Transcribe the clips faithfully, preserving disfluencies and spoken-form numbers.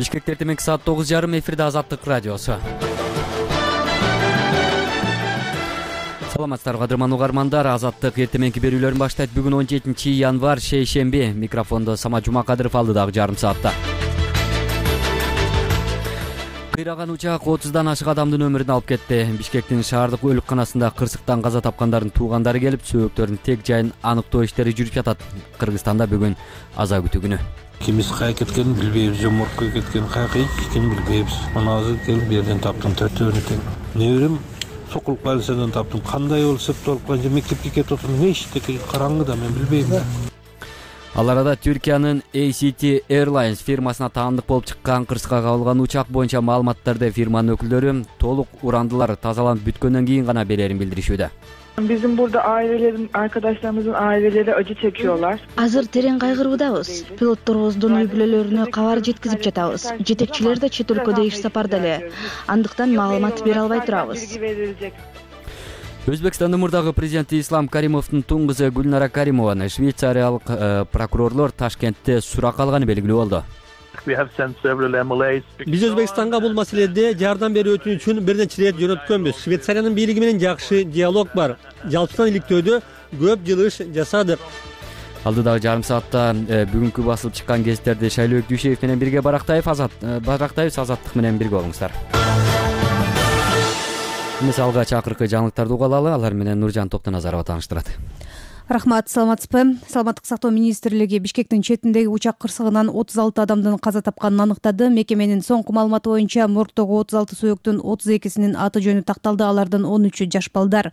Бишкекте эртең саат тогуз жарым эфирде Азаттык радиосу. Саламатсыздарбы кадырман угармандар, Азаттык эртеңки берүүлөрүн баштайт. Бүгүн он жетинчи январь шейшемби. Микрофондо Самат Жумакадыров алдыдагы жарым саатта. Кыйраган учак отуздан ашык адамдын өмүрүн алып кетти. Бишкектин шаардык өлүкканасында кырсыктан каза тапкандардын туугандары келип, сөөгүттөрдүн тег жайын аныктоо иштери жүрүп жатат. Кыргызстанда бүгүн аза күтүү күнү. Кимис кая кеткенин билбейбиз, жоморкко кеткен каяка экенин билбейбиз. Мына азыр келип бу жерден таптым, төртөөнү тең. Неберем Сокулук больницадан таптым. Кандай болуп септелип калган, мектепке кетип отурдум, эчтеке караңгыда, мен билбейм. Ал арада Түркиянын A C T Airlines фирмасына таандык болуп чыккан кырсыкка кабылган учак боюнча маалыматтарды фирманын өкүлдөрү толук урандылар тазаланып бүткөндөн кийин гана берерин билдиришүүдө. Bizim burada ailelerin, arkadaşlarımızın aileleri acı çekiyorlar. Азыр терең кайгыруудабыз. Пилотторубуздун үй бүлөлөрүнө кабар жеткизип жатабыз. Жетекчилер да чет өлкөдө иш сапарда эле. Андыктан маалымат бере албай турабыз. Өзбекстандын мурдагы президенти Ислам Каримовдун туң кызы Гүлнара Каримованы швейцариялык прокурорлор Ташкентте суракка алганы белгилүү болду. Биз Өзбекстанга бул маселеде жардам берүү үчүн бир нече ирет жөнөткөнбүз. Швейцариянын бийлиги менен жакшы диалог бар. Жалпысынан иликтөөдө көп жыл иш жасадык. Алдыдагы жарым саатта бүгүнкү басылып чыккан гезиттерди Шайлообек Дүйшеев менен бирге Барактаев Азат Барактаев Азаттык менен бирге болуңуздар. Мисалга чакыркы жаңылыктарды угалалы, алар менен Нуржан Токтоназарова тааныштырат. Рахмат, саламатсызбы? Саламаттык сактоо министрлиги Бишкектин четиндеги учак кырсыгынан отуз алты адамдын каза тапканын аныктады. Мекеменин соңку маалыматы боюнча моргдогу отуз алты сөөктүн отуз экисинин аты жөнү такталды. Алардын он үчү жаш балдар.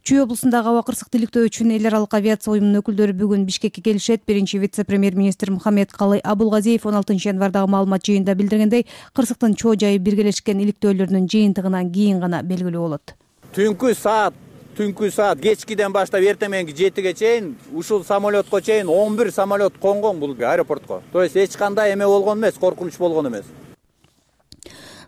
Чүй облусундагы аба кырсыкты иликтөө үчүн эл аралык авиация уюмунун өкүлдөрү бүгүн Бишкекке келишет. Биринчи вице-премьер-министр Мухаммед Калый Абулгазиев он алтынчы январдагы маалымат жыйынында билдиргендей, кырсыктын чоо жайы биргелешкен иликтөөлөрүнүн жыйынтыгынан кийин гана белгилүү болот. Түнкү саат Түнкү саат кечкиден баштап эртеменги жетиге чейин ушул самолетко чейин он бир самолет конгон бул аэропортко. То есть эч кандай эме болгон эмес, коркунуч болгон эмес.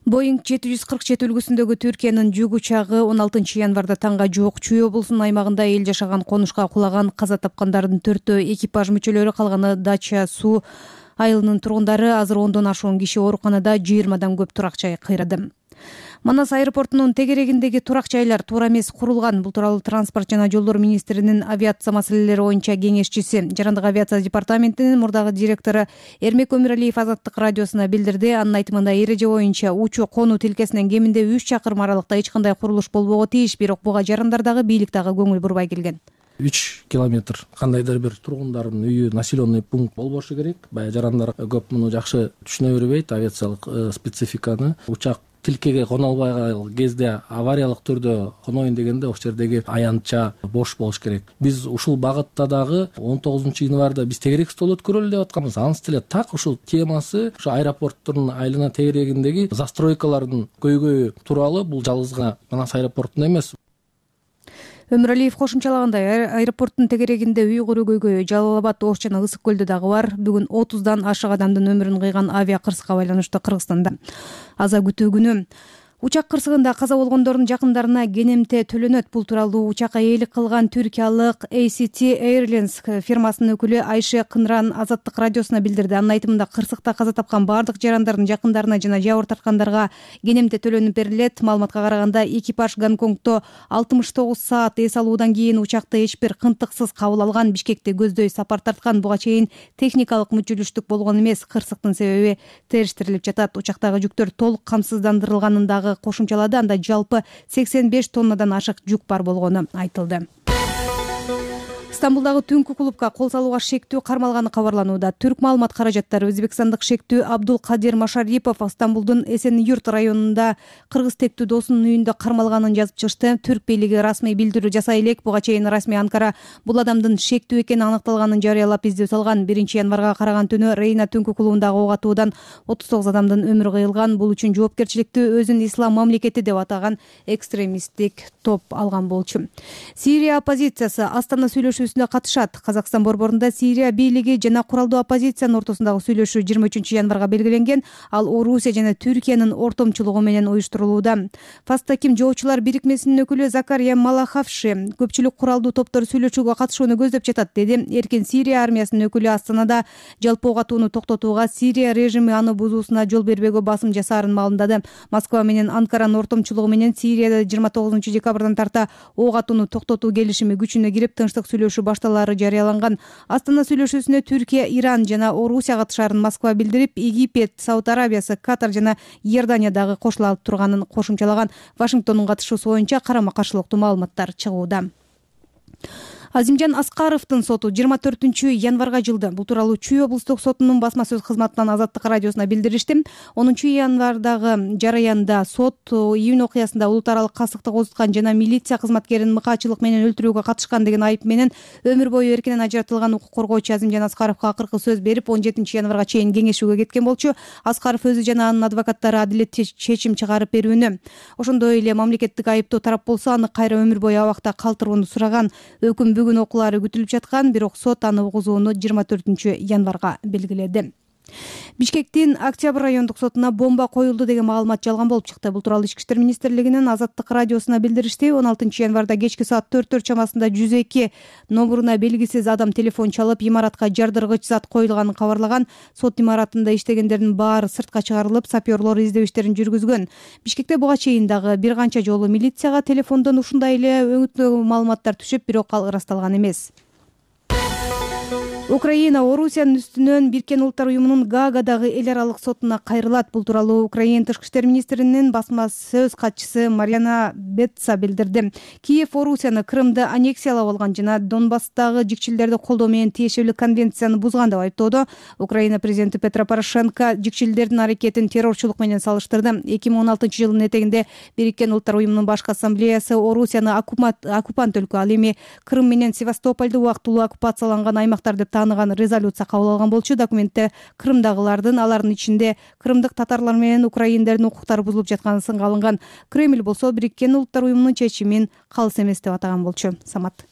Боинг жети жүз кырк жети үлгүсүндөгү Түркиянын жүк учагы он алтынчы январда таңга жуук Чүй облусунун аймагында эл жашаган конушка кулаган. Каза тапкандардын төртөө экипаж мүчөлөрү, калганы Дача суу айылынын тургундары. Азыр ондон ашуун киши ооруканада, жыйырмадан көп турак жай кыйрады. Манас аэропортунун тегерегиндеги турак жайлар туура эмес курулган. Бул тууралуу транспорт жана жолдор министринин авиация маселелери боюнча кеңешчиси, Жарандык авиация департаментинин мурдагы директору Эрмек Өмүралиев Азаттык радиосуна билдирди. Анын айтымында эреже боюнча учуу конуу тилкесинен кеминде үч чакырым аралыкта эч кандай курулуш болбого тийиш, бирок буга жарандар дагы, бийлик дагы көңүл бурбай келген. үч километр кандайдыр бир тургундардын үйү, населенный пункт болбошу керек. Баягы жарандар көп муну жакшы түшүнө бербейт, авиациялык спецификаны. Учак тилкеге коно албай кезде авариялык түрдө коноюн дегенде ошол жердеги аянтча бош болуш керек. Биз ушул багытта дагы он тогузунчу январда биз тегерек стол өткөрөлү деп атканбыз. Анысы деле так ушул темасы ушу аэропорттун айлана тегерегиндеги застройкалардын көйгөйү тууралуу. Бул жалгызга Манас аэропортунда эмес. Өмүралиев кошумчалагандай, аэропорттун тегерегинде үй куруу көйгөйү Жалал Абад, Ош жана Ысык көлдө дагы бар. Бүгүн отуздан ашык адамдын өмүрүн кыйган авиа кырсыкка байланыштуу Кыргызстанда аза күтүү күнү. Учак кырсыгында каза болгондордун жакындарына кенемте төлөнөт. Бул тууралуу учакка ээлик кылган түркиялык A C T Airlines фирмасынын өкүлү Айше Кынран Азаттык радиосуна билдирди. Анын айтымында кырсыкта каза тапкан бардык жарандардын жакындарына жана жабыр тарткандарга кенемте төлөнүп берилет. Маалыматка караганда, экипаж Гонконгдо алтымыш тогуз саат эс алуудан кийин учакты эч бир кынтыксыз кабыл алган. Бишкекте көздөй сапар тарткан. Буга чейин техникалык мүчүлүштүк болгон эмес. Кырсыктын себеби териштирилип жатат. Учактагы жүктөр толук камсыздандырылганындагы кошумчалады. Анда жалпы сексен беш тоннадан ашык жүк бар болгону айтылды. Стамбулдагы түнкү клубка кол салууга шектүү кармалганы кабарланууда. Түрк маалымат каражаттары өзбекстандык шектүү Абдул Кадир Машарипов Стамбулдун Эсен-Юрт районунда кыргыз тектүү досунун үйүндө кармалганын жазып чыкты. Түрк бийлиги расмий билдирүү жасай элек. Буга чейин расмий Анкара бул адамдын шектүү экени аныкталганын жарыялап издөө салган. биринчи январга караган түнү Рейна түнкү клубундагы ок атуудан отуз тогуз адамдын өмүрү кыйылган. Бул үчүн жоопкерчиликти өзүн ислам мамлекети деп атаган экстремисттик топ алган болчу. Сирия оппозициясы Астана сүйлөшүүсүндө сүйлөшүүсүнө катышат. Казакстан борборунда Сирия бийлиги жана куралдуу оппозициянын ортосундагы сүйлөшүү жыйырма үчүнчү январга белгиленген. Ал Орусия жана Түркиянын ортомчулугу менен уюштурулууда. Фастаким жоочулар бирикмесинин өкүлү Закария Малахавши көпчүлүк куралдуу топтор сүйлөшүүгө катышууну көздөп жатат деди. Эркин Сирия армиясынын өкүлү Астанада жалпы ок атууну токтотууга Сирия режими аны бузуусуна жол бербөөгө басым жасаарын маалымдады. Москва менен Анкаранын ортомчулугу менен Сирияда жыйырма тогузунчу декабрдан тарта ок атууну токтотуу келишими күчүнө кирип, тынчтык сүйлөшүү башталаары жарыяланган. Астана сүйлөшүүсүнө Түркия, Иран жана Орусия катышаарын Москва билдирип, Египет, Сауд Арабиясы, Катар жана Иордания дагы кошула алып турганын кошумчалаган. Вашингтондун катышуусу боюнча карама-каршылыктуу маалыматтар чыгууда. Азимжан Аскаровдун соту жыйырма төртүнчү январга жылды. Бул тууралуу Чүй облустук сотунун басма сөз кызматынан Азаттык радиосуна билдиришти. онунчу январдагы жараянда сот июнь окуясында улут аралык кастыктык озуткан жана милиция кызматкерин мыкаачылык менен өлтүрүүгө катышкан деген айып менен өмүр бою эркинен ажыратылган укук коргоочу Азимжан Аскаровго акыркы сөз берип, он жетинчи январга чейин кеңешүүгө кеткен болчу. Аскаров өзү жана анын адвокаттары адилеттүү чечим чыгарып берүүнү, ошондой эле мамлекеттик айыптоо тарап болсо аны кайра өмүр бою абакта калтырууну сураган. Өкүм бүгүн окуулары күтүлүп жаткан, бирок сот аны угузууну жыйырма төртүнчү январга белгиледи. Бишкектин Октябрь райондук сотуна бомба коюлду деген маалымат жалган болуп чыкты. Бул тууралуу Ички иштер министрлигинин Азаттык радиосуна билдиришти. он алтынчы январда кечки саат төрттөр чамасында жүз эки номуруна белгисиз адам телефон чалып, имаратка жардыргыч зат коюлганын кабарлаган. Сот имаратында иштегендердин баары сыртка чыгарылып, сапёрлор издөө иштерин жүргүзгөн. Бишкекте буга чейин дагы бир канча жолу милицияга телефондон ушундай эле өңүттүү маалыматтар түшүп, бирок ал ырасталган эмес. Украина Орусиянын үстүнөн Бириккен Улуттар уюмунун Гаагадагы эл аралык сотуна кайрылат. Бул тууралуу Украина тышкы иштер министринин басма сөз катчысы Марьяна Бетца билдирди. Киев Орусияны Крымды аннексиялап алган жана Донбасстагы жикчилдерди колдоо менен тиешелүү конвенцияны бузган деп айыптоодо. Украина президенти Петро Порошенко жикчилдердин аракетин террорчулук менен салыштырды. эки миң он алтынчы жылдын этегинде Бириккен Улуттар уюмунун башкы ассамблеясы Орусияны оккупант өлкө, ал эми Крым менен Севастополду убактылуу оккупацияланган аймактар деп тааныган резолюция кабыл алган болчу. Документте Крымдагылардын, алардын ичинде крымдык татарлар менен украиндердин укуктары бузулуп жатканы сынга алынган. Кремль болсо Бириккен Улуттар уюмунун чечимин калыс эмес деп атаган болчу. Самат.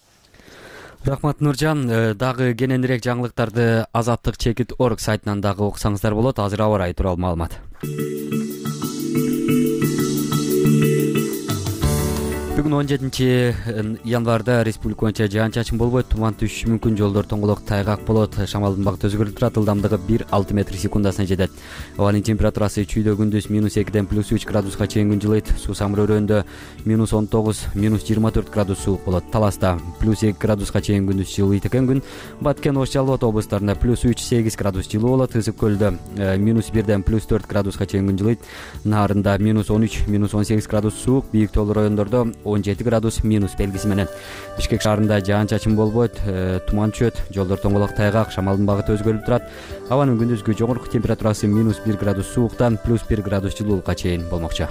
Рахмат Нуржан. Дагы кененирээк жаңылыктарды Азаттык чекит точка орг сайтынан дагы окусаңыздар болот. Азыр аба ырайы тууралуу маалымат. Бүгүн он жетинчи январда республика боюнча жаан-чачын болбойт, туман түшүшү мүмкүн, жолдор тоңголок, тайгак болот, шамалдын багыты өзгөрүп турат, ылдамдыгы бир алты метр секундасына жетет. Абанын температурасы чүйдө күндүз минус экиден плюс үч градуска чейин күн жылыйт, суу самырөөрөндө минус он тогуз, минус жыйырма төрт градус суук болот. Таласта плюс эки градуска чейин күндүз жылыйт экен күн. Баткен, Ош, Жалал Абад облустарында плюс үч, сегиз градус жылуу болот, Ысык көлдө минус бирден плюс төрт градуска чейин күн жылыйт. Наарында минус он үч, минус он сегиз градус суук, бийик тоолуу райондордо он жети градус минус белгиси менен. Бишкек шаарында жаан-чачын болбойт, туман түшөт, жолдор тоңголок, тайгак, шамалдын багыты өзгөрүп турат. Абанын күндүзгү жогорку температурасы минус бир градус сууктан плюс бир градус жылуулукка чейин болмокчу.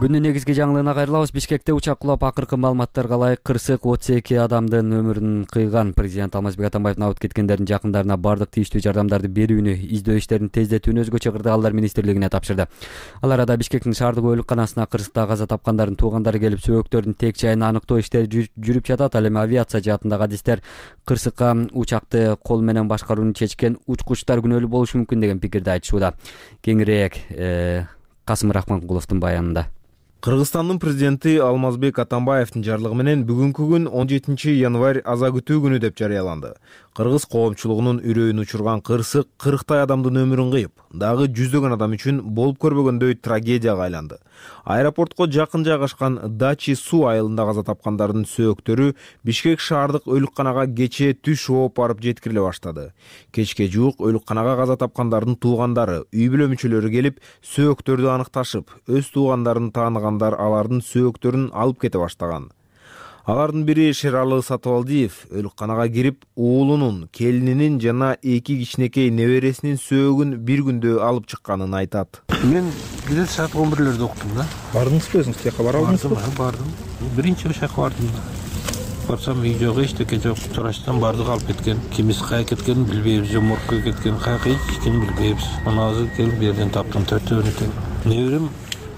Күндүн негизги жаңылыгына кайрылабыз. Бишкекте учак кулап, акыркы маалыматтарга ылайык кырсык отуз эки адамдын өмүрүн кыйган. Президент Алмазбек Атамбаевдин абыт кеткендердин жакындарына бардык тийиштүү жардамдарды берүүнү, издөө иштерин тездетүүнү өзгөчө кырдаалдар министрлигине тапшырды. Ал арада Бишкектин шаардык оолукканасына кырсыкта каза тапкандардын туугандары келип, сөөгөктөрдүн тек жайын аныктоо иштери жүрүп жатат. Ал эми авиация жаатындагы адистер кырсыкка учакты кол менен башкарууну чечкен учкучтар күнөөлүү болушу мүмкүн деген пикирди айтышууда. Кеңирээк Касым Рахманкуловдун баянында. Кыргызстандын президенти Алмазбек Атамбаевдин жарлыгы менен бүгүнкү күн он жетинчи январь аза күтүү күнү деп жарыяланды. Кыргыз коомчулугунун үрөйүн учурган кырсык кырктай адамдын өмүрүн кыйып, дагы жүздөгөн адам үчүн болуп көрбөгөндөй трагедияга айланды. Аэропортко жакын жайгашкан Дачи суу айылында каза тапкандардын сөөктөрү Бишкек шаардык өлүкканага кечээ түш ооп барып жеткириле баштады. Кечке жуук өлүкканага каза тапкандардын туугандары, үй бүлө мүчөлөрү келип, сөөктөрдү аныкташып, өз туугандарын тааныгандар алардын сөөктөрүн алып кете баштаган. Алардын бири Шералы Сатыбалдиев өлүкканага кирип, уулунун, келининин жана эки кичинекей небересинин сөөгүн бир күндө алып чыкканын айтат. Мен бир саат он бирлерде уктум да. Бардыңызбы өзүңүз тияка бара алдыңызбы? Бардым. Биринчи ошоко бардым да. Барсам үй жок, эчтеке жок. Чурачтан бардык алып кеткен. Кимиси кайда кеткенин билбейбиз, же моргко кеткен, каяка эч экенин билбейбиз. Мына азыр келип бу жерден таптым, төртөөнү тең. неберем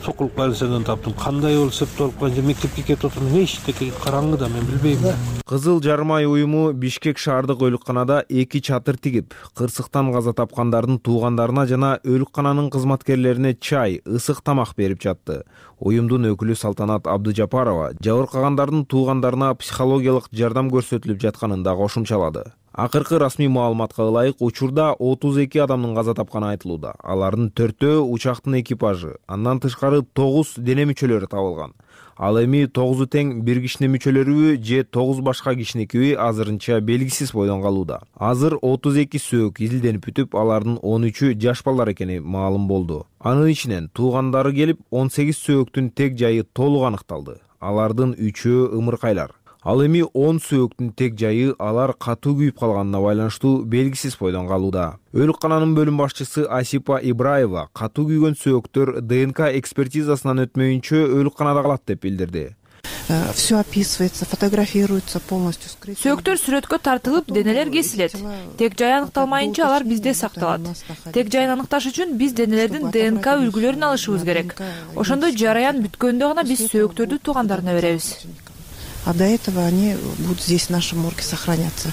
сокулук больницадан таптым. Кандай болуп септелип канча мектепке кетип отурмун. Эчтеке караңгыда мен билбейм да. Кызыл Жармай уюму Бишкек шаардык өлүкканада эки чатыр тигип, кырсыктан каза тапкандардын туугандарына жана өлүккананын кызматкерлерине чай, ысык тамак берип жатты. Уюмдун өкүлү Салтанат Абдыжапарова жабыркагандардын туугандарына психологиялык жардам көрсөтүлүп жатканын да кошумчалады. Акыркы расмий маалыматка ылайык учурда отуз эки адамдын каза тапканы айтылууда. Алардын төртөө учактын экипажы, андан тышкары тогуз дене мүчөлөрү табылган. Ал эми тогузу тең бир кишинин мүчөлөрүбү же тогуз башка кишиникиби азырынча белгисиз бойдон калууда. Азыр отуз эки сөөк изилденип бүтүп, алардын он үчү жаш балдар экени маалым болду. Анын ичинен туугандары келип, он сегиз сөөктүн тег жайы толук аныкталды. Алардын үчөө ымыркайлар. Ал эми он сөөктүн тег жайы алар катуу күйүп калганына байланыштуу белгисиз бойдон калууда. Өлүккананын бөлүм башчысы Асипа Ибраева катуу күйгөн сөөктөр ДНК экспертизасынан өтмөйүнчө өлүкканада калат деп билдирди. Все описывается, фотографируется полностью. Сөөктөр сүрөткө тартылып, денелер кесилет. Тег жай аныкталмайынча алар бизде сакталат. Тег жайын аныкташ үчүн биз денелердин ДНК үлгүлөрүн алышыбыз керек. Ошондо жараян бүткөндө гана биз сөөктөрдү туугандарына беребиз. А до этого они будут здесь в нашем морге сохраняться.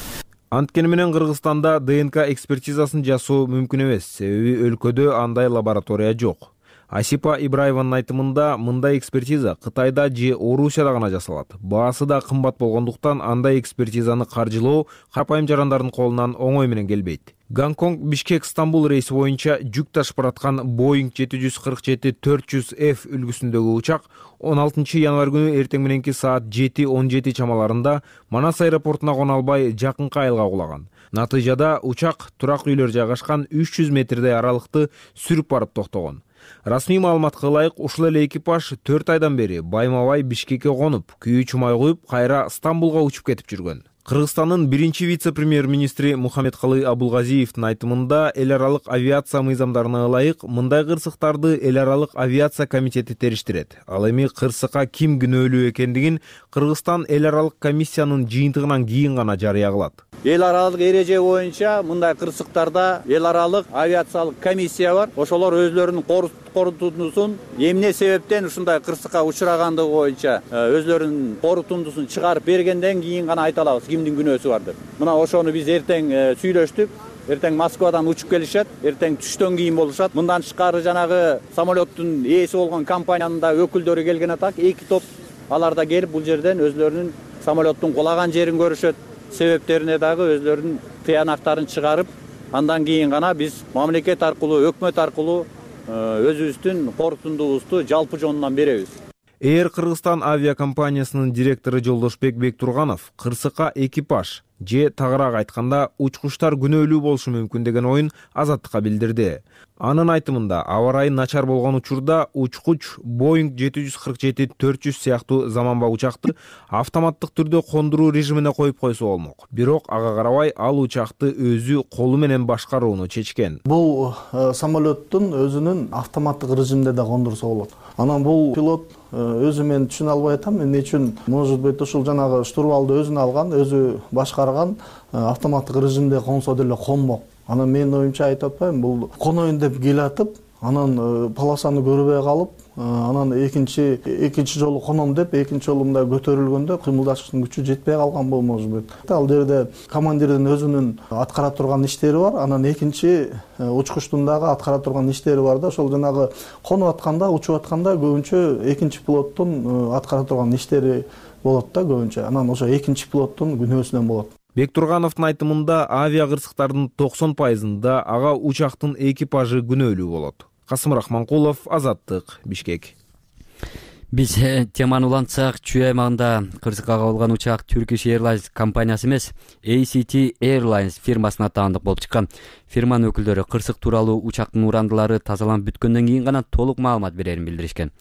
Анткени менен Кыргызстанда ДНК экспертизасын жасоо мүмкүн эмес, себеби өлкөдө андай лаборатория жок. Асипа Ибраеванын айтымында мындай экспертиза Кытайда же Орусияда гана жасалат. Баасы да кымбат болгондуктан андай экспертизаны каржылоо карапайым жарандардын колунан оңой менен келбейт. Гонконг Бишкек Стамбул рейси боюнча жүк ташып бараткан Boeing жети жүз кырк жети төрт жүз эф үлгүсүндөгү учак он алтынчы январь күнү эртең мененки саат жети он жети чамаларында Манас аэропортуна кона албай жакынкы айылга кулаган. Натыйжада учак турак үйлөр жайгашкан үч жүз метрдей аралыкты сүрүп барып токтогон. Расмий маалыматка ылайык, ушул эле экипаж төрт айдан бери байма-бай Бишкекке конуп, күйүү чумай коюп, кайра Стамбулга учуп кетип жүргөн. Кыргызстандын биринчи вице-премьер-министри Мухаммедкалый Абулгазиевдин айтымында эл аралык авиация мыйзамдарына ылайык мындай кырсыктарды эл аралык авиация комитети териштирет. Ал эми кырсыкка ким күнөөлүү экендигин Кыргызстан эл аралык комиссиянын жыйынтыгынан кийин гана жарыя кылат. Эл аралык эреже боюнча мындай кырсыктарда эл аралык авиациялык комиссия бар. Ошолор өзлөрүнүн корутундусун эмне себептен ушундай кырсыкка учурагандыгы боюнча өзлөрүнүн корутундусун чыгарып бергенден кийин гана айта алабыз кимдин күнөөсү бар деп. Мына ошону биз эртең сүйлөштүк. Эртең Москвадан учуп келишет, эртең түштөн кийин болушат. Мындан тышкары жанагы самолеттун ээси болгон компаниянын да өкүлдөрү келген атак. Эки топ алар да келип бул жерден өзлөрүнүн самолеттун кулаган жерин көрүшөт. Себептерине дагы өзлөрүнүн тыянактарын чыгарып, андан кийин гана биз мамлекет аркылуу, өкмөт аркылуу өзүбүздүн корутундубузду жалпы жонунан беребиз. Air Кыргызстан авиакомпаниясынын директору Жолдошбек Бектурганов кырсыкка экипаж же тагыраак айтканда учкучтар күнөөлүү болушу мүмкүн деген оюн Азаттыкка билдирди. Анын айтымында аба ырайы начар болгон учурда учкуч Boeing жети жүз кырк жети төрт жүз сыяктуу заманба учакты автоматтык түрдө кондуруу режимине коюп койсо болмок. Бирок ага карабай ал учакты өзү колу менен башкарууну чечкен. Бул самолеттун өзүнүн автоматтык режимде да кондурса болот. Анан бул пилот өзү мен түшүнө албай атам, эмне үчүн может быть ушул жанагы штурвалды өзүнө алган, өзү башкарган автоматтык режимде консо деле конмок. Анан менин оюмча айтып атпайм, бул коноюн деп келатып, анан полосаны көрбөй калып, анан экинчи экинчи жолу коном деп экинчи жолу мындай көтөрүлгөндө кыймылдашыштын күчү жетпей калган бул может быть. Ал жерде командирдин өзүнүн аткара турган иштери бар, анан экинчи учкучтун дагы аткара турган иштери бар да, ошол жанагы конуп атканда, учуп атканда көбүнчө экинчи пилоттун аткара турган иштери болот да көбүнчө. Анан ошо экинчи пилоттун күнөөсүнөн болот. Бектургановдун айтымында авиа кырсыктардын токсон пайызында ага учактын экипажы күнөөлүү болот. Касым Рахманкулов, Азаттык, Бишкек. Биз теманы улантсак, Чүй аймагында кырсыкка кабылган учак Turkish Airlines компаниясы эмес, A C T Airlines фирмасына таандык болуп чыккан. Фирманын өкүлдөрү кырсык тууралуу учактын урандылары тазаланып бүткөндөн кийин гана толук маалымат берерин билдиришкен.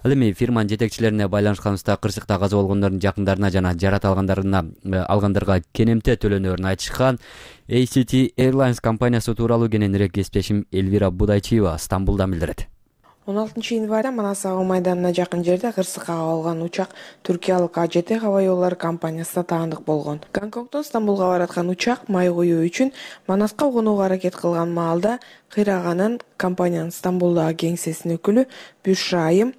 Ал эми фирманын жетекчилерине байланышканыбызда кырсыкта каза болгондордун жакындарына жана жарат алгандарына алгандарга кенемте төлөнөрүн айтышкан. A C T Airlines компаниясы тууралуу кененирээк кесиптешим Элвира Будайчиева Стамбулдан билдирет. он алтынчы январда Манас аба майданына жакын жерде кырсыкка кабылган учак түркиялык А Ж Т аба жолдору компаниясына таандык болгон. Гонконгдон Стамбулга бараткан учак май куюу үчүн Манаска конууга аракет кылган маалда кыйраганын компаниянын Стамбулдагы кеңсесинин өкүлү Бюшра Айым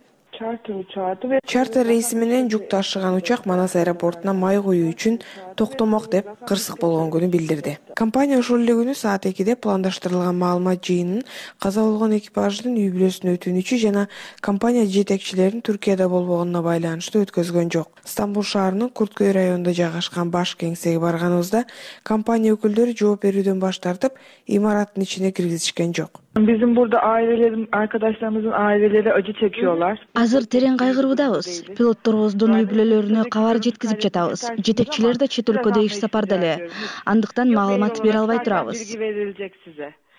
чартер рейси менен жүк ташыган учак Манас аэропортуна май куюу үчүн токтомок деп кырсык болгон күнү билдирди. Компания ошол эле күнү саат экиде пландаштырылган маалымат жыйынын каза болгон экипаждын үй бүлөсүнө өтүнүчү жана компания жетекчилеринин Түркияда болбогонуна байланыштуу өткөзгөн жок. Стамбул шаарынын Курткөй районунда жайгашкан баш кеңсеге барганыбызда компания өкүлдөрү жооп берүүдөн баш тартып, имараттын ичине киргизишкен жок. Bizim burada ailelerin, arkadaşlarımızın aileleri acı çekiyorlar. Азыр терең кайгыруудабыз. Пилотторубуздун үй бүлөлөрүнө кабар жеткизип жатабыз. Жетекчилер да чет өлкөдө иш сапарда эле. Андыктан маалымат бере албай турабыз.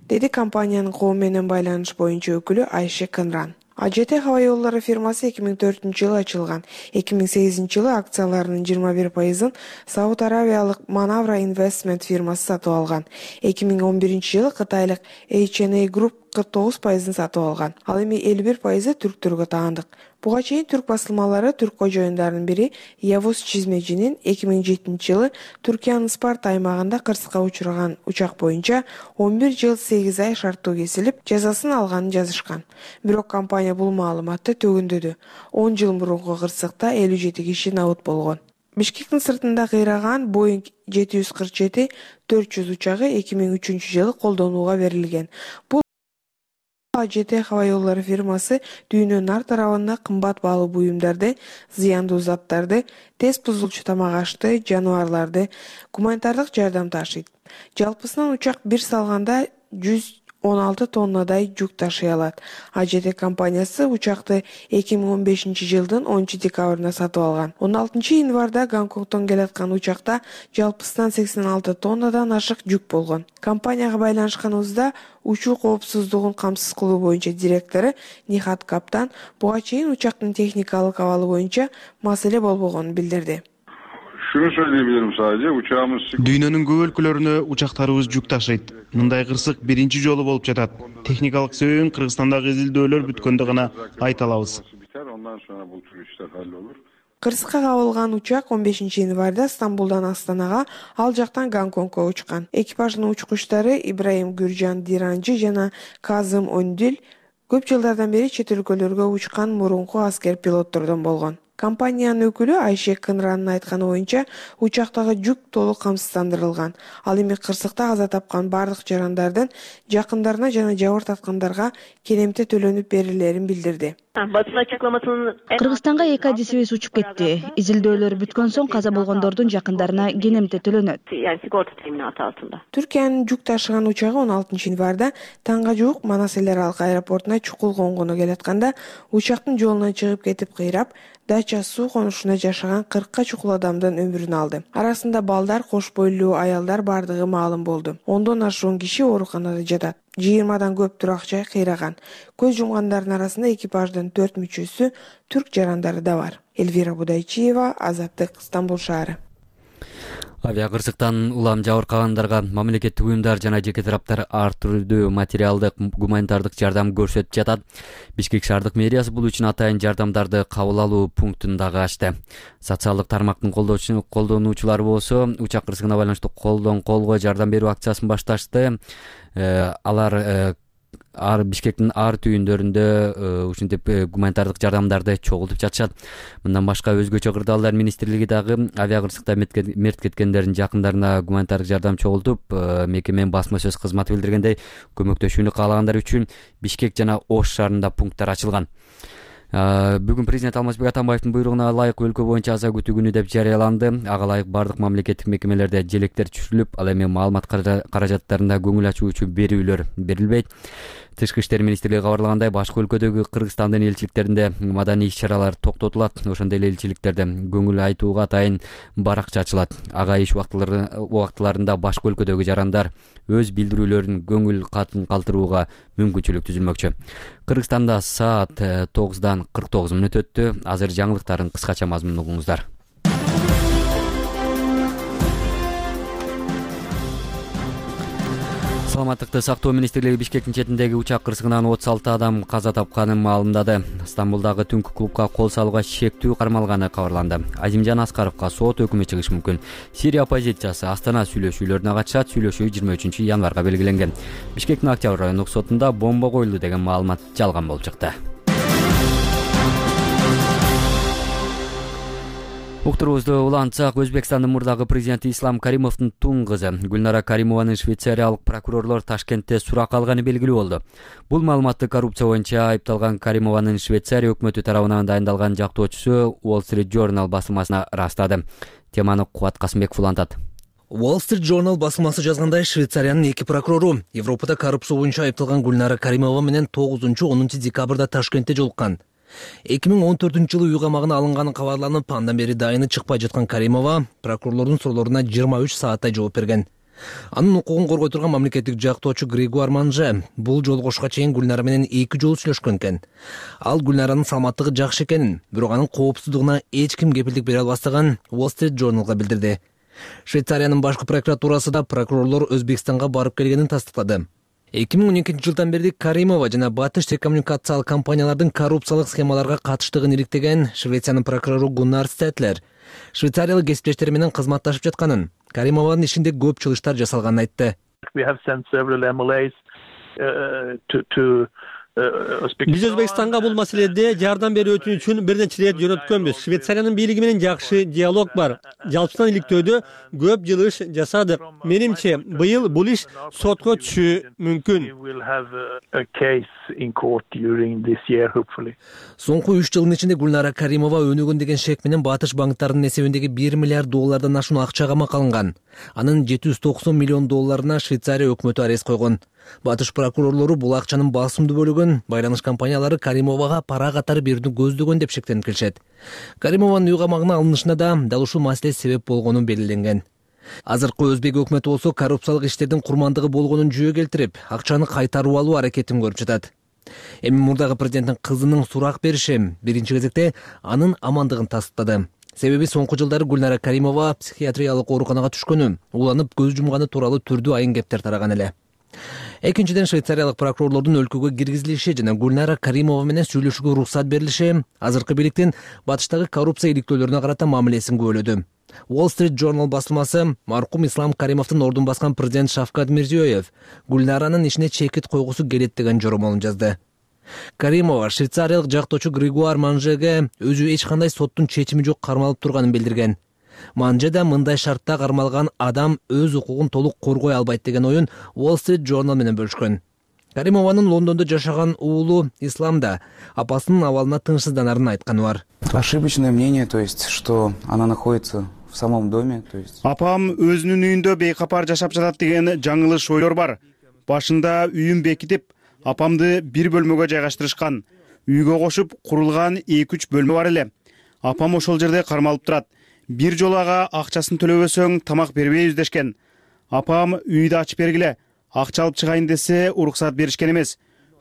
Деди компаниянын коом менен байланыш боюнча өкүлү Айше Кынран. А Ж Т аба жолдору фирмасы эки миң төртүнчү жылы ачылган. эки миң сегизинчи жылы акцияларынын жыйырма бир пайызын Сауд Арабиялык Manavra Investment фирмасы сатып алган. эки миң он биринчи жылы Кытайлык H and A Group кырк тогуз пайызын сатып алган. Ал эми элүү бир пайызы түрктөргө таандык. Буга чейин түрк басылмалары түрк кожоюндарынын бири Явуз Чизмежинин эки миң жетинчи жылы Түркиянын Спарта аймагында кырсыкка учураган учак боюнча он бир жыл сегиз ай шарттуу кесилип, жазасын алганын жазышкан. Бирок компания бул маалыматты төгүндөдү. он жыл мурунку кырсыкта элүү жети киши набыт болгон. Бишкектин сыртында кыйраган Boeing жети жүз кырк жети төрт жүз учагы эки миң үчүнчү жылы колдонууга берилген. Бул А Ж Т аба жолдору фирмасы дүйнөнүн ар тарабында кымбат баалуу буюмдарды, зыяндуу заттарды, тез бузулчу тамак ашты, жаныбарларды, гуманитардык жардам ташыйт. Жалпысынан учак бир салганда жүз он алты тоннадай жүк ташый алат. А Ж Т компаниясы учакты эки миң он бешинчи жылдын онунчу декабрында сатып алган. он алтынчы январда Гонконгдон келаткан учакта жалпысынан сексен алты тоннадан ашык жүк болгон. Компанияга байланышканыбызда учуу коопсуздугун камсыз кылуу боюнча директору Нихат Каптан буга чейин учактын техникалык абалы боюнча маселе болбогонун билдирди. Şunu söyleyebilirim sadece, uçağımız... Dünyanın көп өлкөлөрүнө учактарыбыз жүк ташыйт. Мындай кырсык биринчи жолу болуп жатат. Техникалык себебин Кыргызстандагы изилдөөлөр бүткөндө гана айта алабыз. Ondan sonra bu tür işler hallolur. Кырсыкка кабылган учак он бешинчи январда Стамбулдан Астанага, ал жактан Гонконгго учкан. Экипаждын учкучтары Ибраим Гүржан Диранжы жана Казым Өндүл көп жылдардан бери чет өлкөлөргө учкан мурунку аскер пилоттордон болгон. Компаниянын өкүлү Айше Кынранын айтканы боюнча учактагы жүк толук камсыздандырылган. Ал эми кырсыкта каза тапкан бардык жарандардын жакындарына жана жабыр таткандарга керемте төлөнүп берилерин билдирди. Basın açıklamasının Кыргызстанга эки адисибиз учуп кетти. Изилдөөлөр бүткөн соң каза болгондордун жакындарына кенемте төлөнөт. yani sigorta teminatı altında. Түркиянын жүк ташыган учагы он алтынчы январда таңга жуук Манас эл аралык аэропортуна чукул конгону келатканда учактын жолунан чыгып кетип кыйрап, Дача суу конушуна жашаган кыркка чукул адамдын өмүрүн алды. Арасында балдар, кош бойлуу аялдар бардыгы маалым болду. Ондон ашуун киши ооруканада жатат. жыйырмадан көп турак жай кыйраган. Көз жумгандардын арасында экипаждын төрт мүчөсү түрк жарандары да бар. Эльвира Будайчиева, Азаттык, Стамбул шаары. Авиа кырсыктан улам жабыркагандарга мамлекеттик уюмдар жана жеке тараптар ар түрдүү материалдык, гуманитардык жардам көрсөтүп жатат. Бишкек шаардык мэриясы бул үчүн атайын жардамдарды кабыл алуу пунктун дагы ачты. Социалдык тармактын колдонуучулары болсо учак кырсыгына байланыштуу колдон колго жардам берүү акциясын башташты. Алар ар Бишкектин ар түйүндөрүндө ушинтип гуманитардык жардамдарды чогултуп жатышат. Мындан башка өзгөчө кырдаалдар министрлиги дагы авиа кырсыкта мерт кеткендердин жакындарына гуманитардык жардам чогултуп, мекеменин басма сөз кызматы билдиргендей, көмөктөшүүнү каалагандар үчүн Бишкек жана Ош шаарында пункттар ачылган. Бүгүн президент Алмазбек Атамбаевдин буйругуна ылайык өлкө боюнча аза күтүү күнү деп жарыяланды. Ага ылайык бардык мамлекеттик мекемелерде желектер түшүрүлүп, ал эми маалымат каражаттарында көңүл ачуу үчүн берүүлөр берилбейт. Тышкы иштер министрлиги кабарлагандай, башка өлкөдөгү Кыргызстандын элчиликтеринде маданий иш-чаралар токтотулат. Ошондой эле элчиликтерде көңүл айтууга атайын баракча ачылат. Ага иш убактыларында башка өлкөдөгү жарандар өз билдирүүлөрүн көңүл катын калтырууга мүмкүнчүлүк түзүлмөкчү. Кыргызстанда саат тогуздан кырк тогуз мүнөт өттү. Азыр жаңылыктардын кыскача мазмунун угуңуздар. Саламаттыкты сактоо министрлиги Бишкектин четиндеги учак кырсыгынан отуз алты адам каза тапканын маалымдады. Стамбулдагы түнкү клубка кол салууга шектүү кармалганы кабарланды. Азимжан Аскаровго сот өкүмү чыгышы мүмкүн. Сирия оппозициясы Астана сүйлөшүүлөрүнө катышат. Сүйлөшүү жыйырма үчүнчү январга белгиленген. Бишкектин Октябрь райондук сотунда бомба коюлду деген маалымат жалган болуп чыкты. Уктурубузду улантсак, Өзбекстандын мурдагы президенти Ислам Каримовдун тун кызы Гүлнара Каримованын швейцариялык прокурорлор Ташкентте сурак алганы белгилүү болду. Бул маалыматты коррупция боюнча айыпталган Каримованын Швейцария өкмөтү тарабынан дайындалган жактоочусу Wall Street Journal басылмасына ырастады. Теманы Кубат Касымбеков улантат. Wall Street Journal басылмасы жазгандай, Швейцариянын эки прокурору Европада коррупция боюнча айыпталган Гүлнара Каримова менен тогузунчу онунчу декабрда Ташкентте жолуккан. эки миң он төртүнчү жылы үй камагына алынганы кабарланып, андан бери дайыны чыкпай жаткан Каримова прокурорлордун суроолоруна жыйырма үч сааттай жооп берген. Анын укугун коргой турган мамлекеттик жактоочу Григуар Манже бул жолугушка чейин Гүлнара менен эки жолу сүйлөшкөн экен. Ал Гүлнаранын саламаттыгы жакшы экенин, бирок анын коопсуздугуна эч ким кепилдик бере албастыгын Wall Street Journalга билдирди. Швейцариянын башкы прокуратурасы да прокурорлор Өзбекстанга барып келгенин тастыктады. эки миң он экинчи жылдан бери Каримова жана Батыш телекоммуникациялык компаниялардын коррупциялык схемаларга катыштыгын иликтеген Швециянын прокурору Гуннар Стетлер швейцариялык кесиптештери менен кызматташып жатканын, Каримованын ишинде көп чылыштар жасалганын айтты. Биз Өзбекстанга бул маселеде жардам берүү үчүн бир нече ирет жөнөткөнбүз. Швейцариянын бийлиги менен жакшы диалог бар. Жалпысынан иликтөөдө көп жыл иш жасадык. Менимче, быйыл бул иш сотко түшүшү мүмкүн. Соңку үч жылдын ичинде Гүлнара Каримова өнүгөн деген шек менен Батыш банктарынын эсебиндеги бир миллиард доллардан ашуун акча камакка алынган. Анын жети жүз токсон миллион долларына Швейцария өкмөтү арест койгон. Батыш прокурорлору бул акчанын басымдуу бөлүгүн байланыш компаниялары Каримовага пара катары берүүнү көздөгөн деп шектенип келишет. Каримованын үй камагына алынышына да дал ушул маселе себеп болгону белгиленген. Азыркы Өзбек өкмөтү болсо коррупциялык иштердин курмандыгы болгонун жүйө келтирип, акчаны кайтарып алуу аракетин көрүп жатат. Эми мурдагы президенттин кызынын сурак бериши биринчи кезекте анын амандыгын тастыктады. Себеби соңку жылдары Гүлнара Каримова психиатриялык ооруканага түшкөнү, уланып көз жумганы тууралуу түрдүү айын кептер тараган эле. Экинчиден, швейцариялык прокурорлордун өлкөгө киргизилиши жана Гүлнара Каримова менен сүйлөшүүгө уруксат берилиши азыркы бийликтин Батыштагы коррупция иликтөөлөрүнө карата мамилесин күбөлөдү. Wall Street Journal басылмасы маркум Ислам Каримовдун ордун баскан президент Шавкат Мирзиёев Гүлнаранын ишине чекит койгусу келет деген жоромолун жазды. Каримова швейцариялык жактоочу Григуар Манжеге өзү эч кандай соттун чечими жок кармалып турганын билдирген. Манже да мындай шартта кармалган адам өз укугун толук коргой албайт деген оюн Wall Street Journal менен бөлүшкөн. Каримованын Лондондо жашаган уулу Ислам да апасынын абалына тынчсызданарын айтканы бар. Ошибочное мнение, то есть, что она находится в самом доме, то есть. Апам өзүнүн үйүндө бейкапар жашап жатат деген жаңылыш ойлор бар. Башында үйүн бекитип, апамды бир бөлмөгө жайгаштырышкан. Үйгө кошуп курулган эки үч бөлмө бар эле. Апам ошол жерде кармалып турат. Бир жолу ага акчасын төлөбөсөң тамак бербейбиз дешкен. Апам үйдү ачып бергиле, акча алып чыгайын десе уруксат беришкен эмес.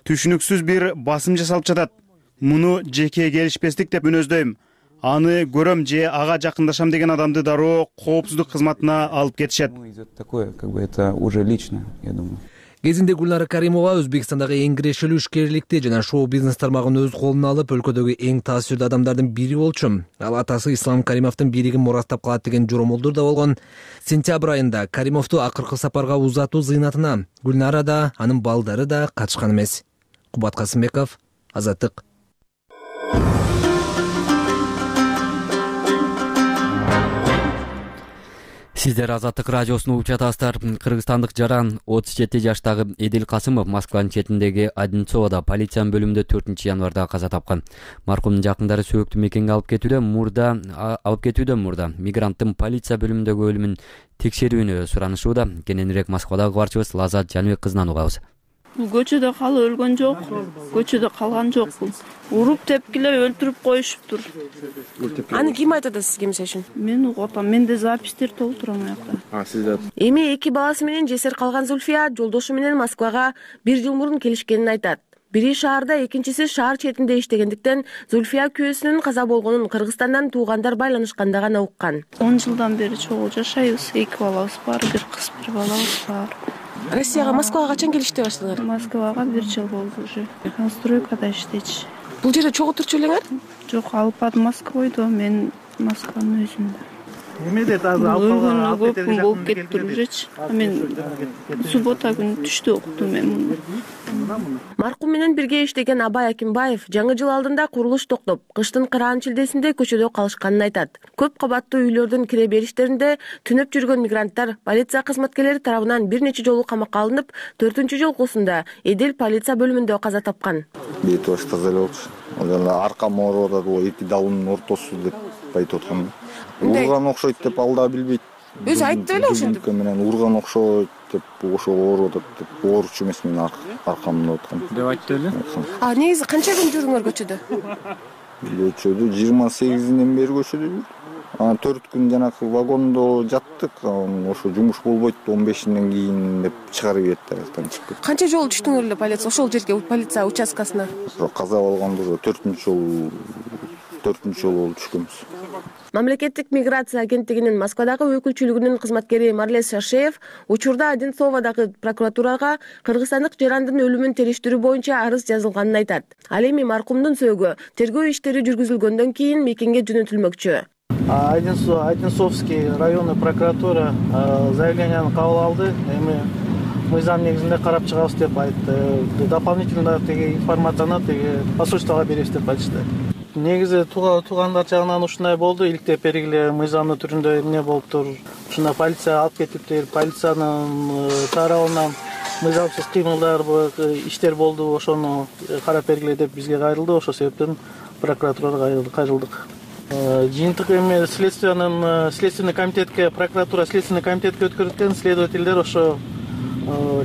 Түшүнүксүз бир басым жасалып жатат. Муну жеке келишпестик деп мүнөздөйм. Аны көрөм же ага жакындашам деген адамды дароо коопсуздук кызматына алып кетишет. Такое, как бы это уже лично, я думаю. Кезинде Гүлнара Каримова Өзбекстандагы эң кирешелүү ишкерликти жана шоу-бизнес тармагын өз колуна алып, өлкөдөгү эң таасирдүү адамдардын бири болчу. Ал атасы Ислам Каримовдун бийлигин мурастап калат деген жоромолдор да болгон. Сентябрь айында Каримовду акыркы сапарга узатуу зыйнатына Гүлнара да, анын балдары да катышкан эмес. Кубат Касымбеков, Азаттык. Сиздер Азаттык радиосун угуп жатасыздар. Кыргызстандык жаран отуз жети жаштагы Эдил Касымов Москванын четиндеги Одинцовода полициянын бөлүмүндө төртүнчү январда каза тапкан. Маркумдун жакындары сөөктү мекенге алып кетүүдө мурда алып кетүүдөн мурда мигранттын полиция бөлүмүндөгү өлүмүн текшерүүнү суранышууда. Кененирээк Москвадагы кабарчыбыз Лазат Жаныбек кызынан угабыз. Көчөдө калып өлгөн жок, көчөдө калган жок. Уруп тепкилеп өлтүрүп коюшуптур. Аны ким айтат сизге мисалы үчүн? Мен угуп атам, менде запистер толуп турам аякта. А, сизде. Эми эки баласы менен жесир калган Зульфия жолдошу менен Москвага бир жыл мурун келишкенин айтат. Бири шаарда, экинчиси шаар четинде иштегендиктен Зульфия күйөөсүнүн каза болгонун Кыргызстандан туугандар байланышканда гана уккан. он жылдан бери чогуу жашайбыз. Эки балабыз бар, бир кыз, бир балабыз бар. Россияга, Москвага качан келиштей баштадыңар? Москвага бир жыл болду уже. Стройкада иштечи. Бул жерде чогуу турчу элеңер? Жок, алып ат Москвойду, мен Москванын өзүндө. Эмеде азыр алып калган көп күн болуп кетти ужечи. Мен суббота күнү түштө уктум мен муну. Маркум менен бирге иштеген Абай Акимбаев жаңы жыл алдында курулуш токтоп, кыштын кыраан шилдесинде көчөдө калышканын айтат. Көп кабаттуу үйлөрдүн кире бериштеринде түнөп жүргөн мигранттар полиция кызматкерлери тарабынан бир нече жолу камакка алынып, төртүнчү жолкусунда Эдил полиция бөлүмүндө каза тапкан. Бет баш таза эле болчу. Ал аркам ооруп атат, ол эки далдын ортосу деп айтып аткан. Урган окшойт деп ал да билбейт. Өзү айтты эле ошентип. Менен урган окшойт деп ошо ооруп атат деп ооручу эмес, мен аркамда аткан. Деп айтты эле. А негизи канча күн жүрдүңөр көчөдө? Көчөдө жыйырма сегизинен бери көчөдө жүрдүк. Анан төрт күн жанакы вагондо жаттык. Ошо жумуш болбойт, он бешинен кийин деп чыгарып ийет, арактан чыгып. Канча жолу түштүңөр эле полиция ошол жерге, полиция участкасына? Каза болгондо төртүнчү жолу төртүнчү жолу болуп түшкөнбүз. Мамлекеттик миграция агенттигинин Москвадагы өкүлчүлүгүнүн кызматкери Марлес Шашеев учурда Одинцовадагы прокуратурага кыргызстандык жарандын өлүмүн териштирүү боюнча арыз жазылганын айтат. Ал эми маркумдун сөөгү тергөө иштери жүргүзүлгөндөн кийин мекенге жөнөтүлмөкчү. Одинцовский районный прокуратура заявленияны кабыл алды. Эми мыйзам негизинде карап чыгабыз деп айтты. Дополнительно теги информацияны теги посольствого беребиз деп айтышты. Негизи туугандар жагынан ушундай болду. Иликтеп бергиле мыйзамдын түрүндө эмне болуптур? Ушуна полиция алып кетиптир. Полициянын тарабынан мыйзамсыз кыймылдар, иштер болду. Ошону карап бергиле деп бизге кайрылды. Ошол себептен прокуратурага кайрылдык. Жыйынтык эми следственный следственный комитетке, прокуратура следственный комитетке өткөрүлгөн, следовательдер ошо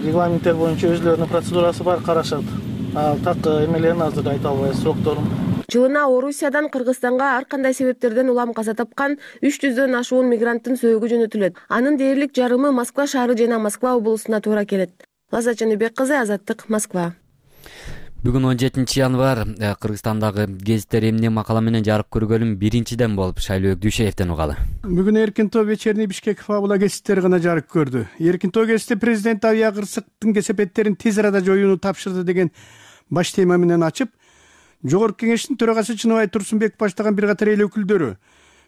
регламенттер боюнча өзлөрүнүн процедурасы бар, карашат. Так эмелерин азыр айта албайбыз, срокторун. Жылына Орусиядан Кыргызстанга ар кандай себептерден улам каза тапкан үч жүздөн ашуун мигранттын сөөгү жөнөтүлөт. Анын дээрлик жарымы Москва шаары жана Москва облусуна туура келет. Лаззат Жаныбек кызы, Азаттык, Москва. Бүгүн он жетинчи январь Кыргызстандагы гезиттер эмне макала менен жарык көргөнүн биринчиден болуп Шайлообек Дүйшеевден угалы. Бүгүн Эркинтоо вечерний Бишкек фабула гезиттери гана жарык көрдү. Эркинтоо гезити президент авиа кырсыктын кесепеттерин тез арада жоюуну тапшырды деген баш тема менен ачып, Жогорку кеңештин төрагасы Чыныбай Турсунбеков баштаган бир катар эл өкүлдөрү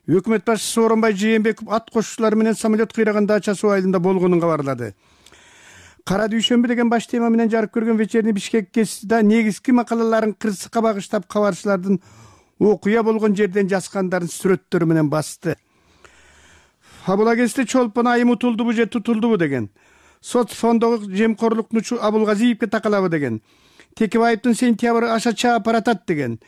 өкмөт башчысы Сооронбай Жээнбеков ат кошуучулары менен самолет кыйраган дача суу айылында болгонун кабарлады. Кара дүйшөмбү деген баш тема менен жарык көргөн вечерний Бишкек гезитида негизги макалаларын кырсыкка багыштап кабарчылардын окуя болгон жерден жазгандарын сүрөттөрү менен басты. Фабула гезити чолпон айым утулдубу же тутулдубу деген, соц фондогу жемкорлуктучу Абулгазиевге такалабы деген, Текебаевдин сентябрь ашача баратат деген,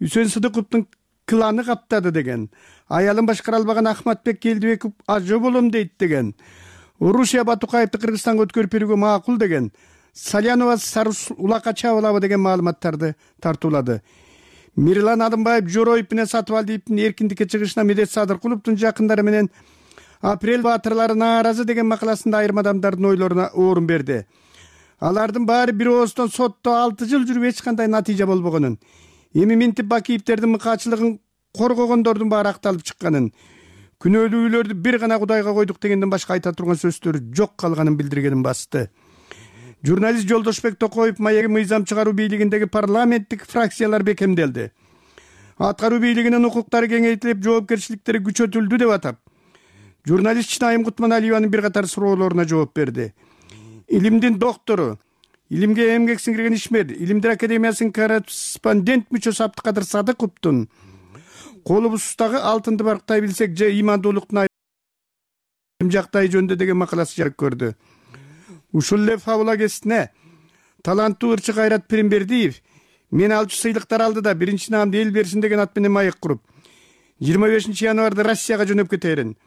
Үсөн Сыдыковдун кыланы каптады деген, аялын башкара албаган Ахматбек Келдибеков ажы болом дейт деген, Урушия Батукаевди Кыргызстанга өткөрүп берүүгө макул деген, Салянова Сарус улакка чабылабы деген маалыматтарды тартуулады. Мирлан Адымбаев Жороев менен Сатыбалдиевдин эркиндикке чыгышына Медет Садыркуловдун жакындары менен апрель баатырлары нааразы деген макаласында айрым адамдардын ойлоруна орун берди. Алардын баары бир ооздон сотто алты жыл жүрүп эч кандай натыйжа болбогонун, эми Минтип Бакиевдердин мыкаачылыгын коргогондордун баары акталып чыкканын, күнөөлүүлөрдү бир гана Кудайга койдук дегенден башка айта турган сөздөрү жок калганын билдиргенин басты. Журналист Жолдошбек Токоев маеги мыйзам чыгаруу бийлигиндеги парламенттик фракциялар бекемделди. Аткаруу бийлигинин укуктары кеңейтилип, жоопкерчиликтери күчөтүлдү деп атап, журналист Чынайым Кутманалиеванын бир катар суроолоруна жооп берди. Илимдин доктору, илимге эмгек сиңирген ишмер, Илимдер академиясынын корреспондент мүчөсү Абдыкадыр Садыковдун колубуздагы алтынды барктай билсек же имандуулуктун айрым жактай жөнүндө деген макаласы жарык көрдү. Ушул эле фабула гезитине таланттуу ырчы Кайрат Пиримбердиев мен алчу сыйлыктар алды да биринчи наамды эл берсин деген ат менен маек куруп, жыйырма бешинчи январда Россияга жөнөп кетерин,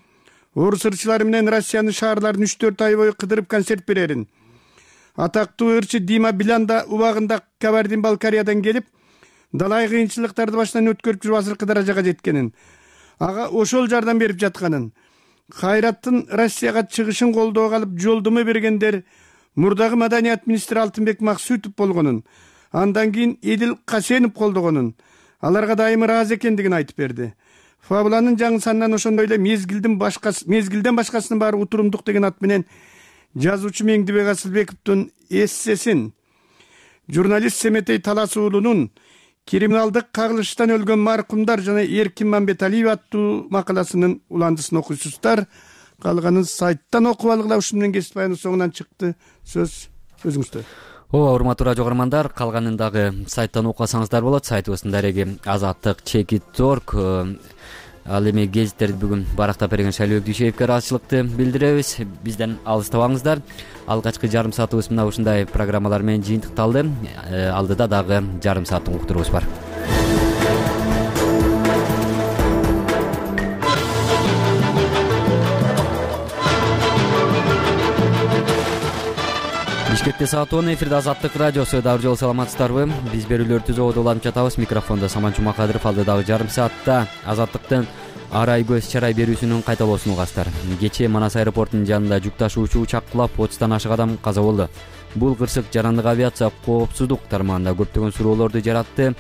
орус ырчылары менен Россиянын шаарларын үч төрт ай бою кыдырып концерт берерин. Атактуу ырчы Дима Биланда убагында Кабардин-Балкариядан келип, далай кыйынчылыктарды башынан өткөрүп жүрүп азыркы даражага жеткенин, ага ошол жардам берип жатканын, Кайраттын Россияга чыгышын колдоого алып жолдомо бергендер мурдагы маданият министри Алтынбек Максутов болгонун, андан кийин Эдил Касенов колдогонун, аларга дайым ыраазы экендигин айтып берди. Фабуланын жаңы санынан ошондой эле мезгилдин башкасы, мезгилден башкасынын баары утурумдук деген ат менен жазуучу Меңдибек Асылбековдун эссесин, журналист Семетей Талас уулунун криминалдык кагылыштан өлгөн маркумдар жана Эркин Мамбеталиев аттуу макаласынын уландысын окуйсуздар. Калганын сайттан окуп алгыла. Ушун менен кесип баянын соңунан чыкты. Сөз өзүңүздө. Ооба, урматтуу радио көрөрмандар, калганын дагы сайттан окусаңыздар болот. Сайтыбыздын дареги азаттык чекит точка орг. Ал эми гезиттерди бүгүн барактап берген Шайлообек Дүйшеевке ыраазычылыкты билдиребиз. Бизден алыстабаңыздар. Алгачкы жарым саатыбыз мына ушундай программалар менен жыйынтыкталды. Алдыда дагы жарым сааттык уктуруубуз бар. Бишкекте саат он, эфирде Азаттык радиосу. Дагы жолу саламатсыздарбы? Биз берүүлөрдү түзүүгө уланып жатабыз. Микрофондо Саман Жумакадыров. Алдыдагы жарым саатта Азаттыктын арай көз чарай берүүсүнүн кайталоосун угасыздар. Кечээ Манас аэропортунун жанында жүк ташуучу учак кулап отуздан ашык адам каза болду. Бул кырсык жарандык авиация коопсуздук тармагында көптөгөн суроолорду жаратты.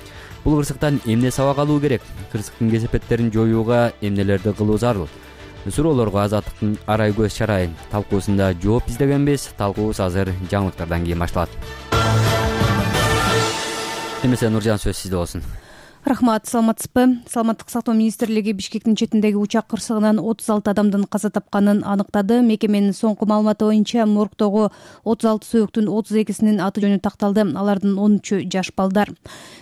Бул кырсыктан эмне сабак алуу керек? Кырсыктын кесепеттерин жоюуга эмнелерди кылуу зарыл? Суроолорго Азаттыктын арай көз чарай талкуусунда жооп издегенбиз. Талкуубуз азыр жаңылыктардан кийин башталат. Эмесе Нуржан, сөз сизде болсун. Рахмат, саламатсызбы? Саламаттык сактоо министрлиги Бишкектин четиндеги учак кырсыгынан отуз алты адамдын каза тапканын аныктады. Мекеменин соңку маалыматы боюнча моргдогу отуз алты сөөктүн отуз экисинин аты жөнү такталды. Алардын он үчү жаш балдар.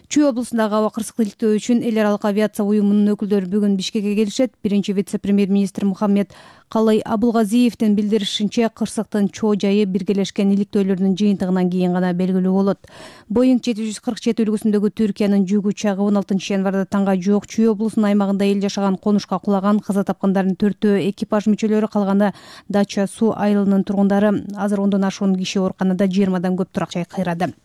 Чүй облусундагы аба кырсык иликтөө үчүн эл аралык авиация уюмунун өкүлдөрү бүгүн Бишкекке келишет. Биринчи вице-премьер-министр Мухаммед Калай Абулгазиевдин билдиришинче, кырсыктын чоо жайы биргелешкен иликтөөлөрдүн жыйынтыгынан кийин гана белгилүү болот. Боинг жети жүз кырк жети үлгүсүндөгү Түркиянын жүк учагы он алтынчы январда таңга жок Чүй облусунун аймагында эл жашаган конушка кулаган. Каза тапкандардын төртөө экипаж мүчөлөрү, калганы Дача суу айылынын тургундары. Азыр ондон ашуун киши ооруканада, жыйырмадан көп турак жай кыйрады.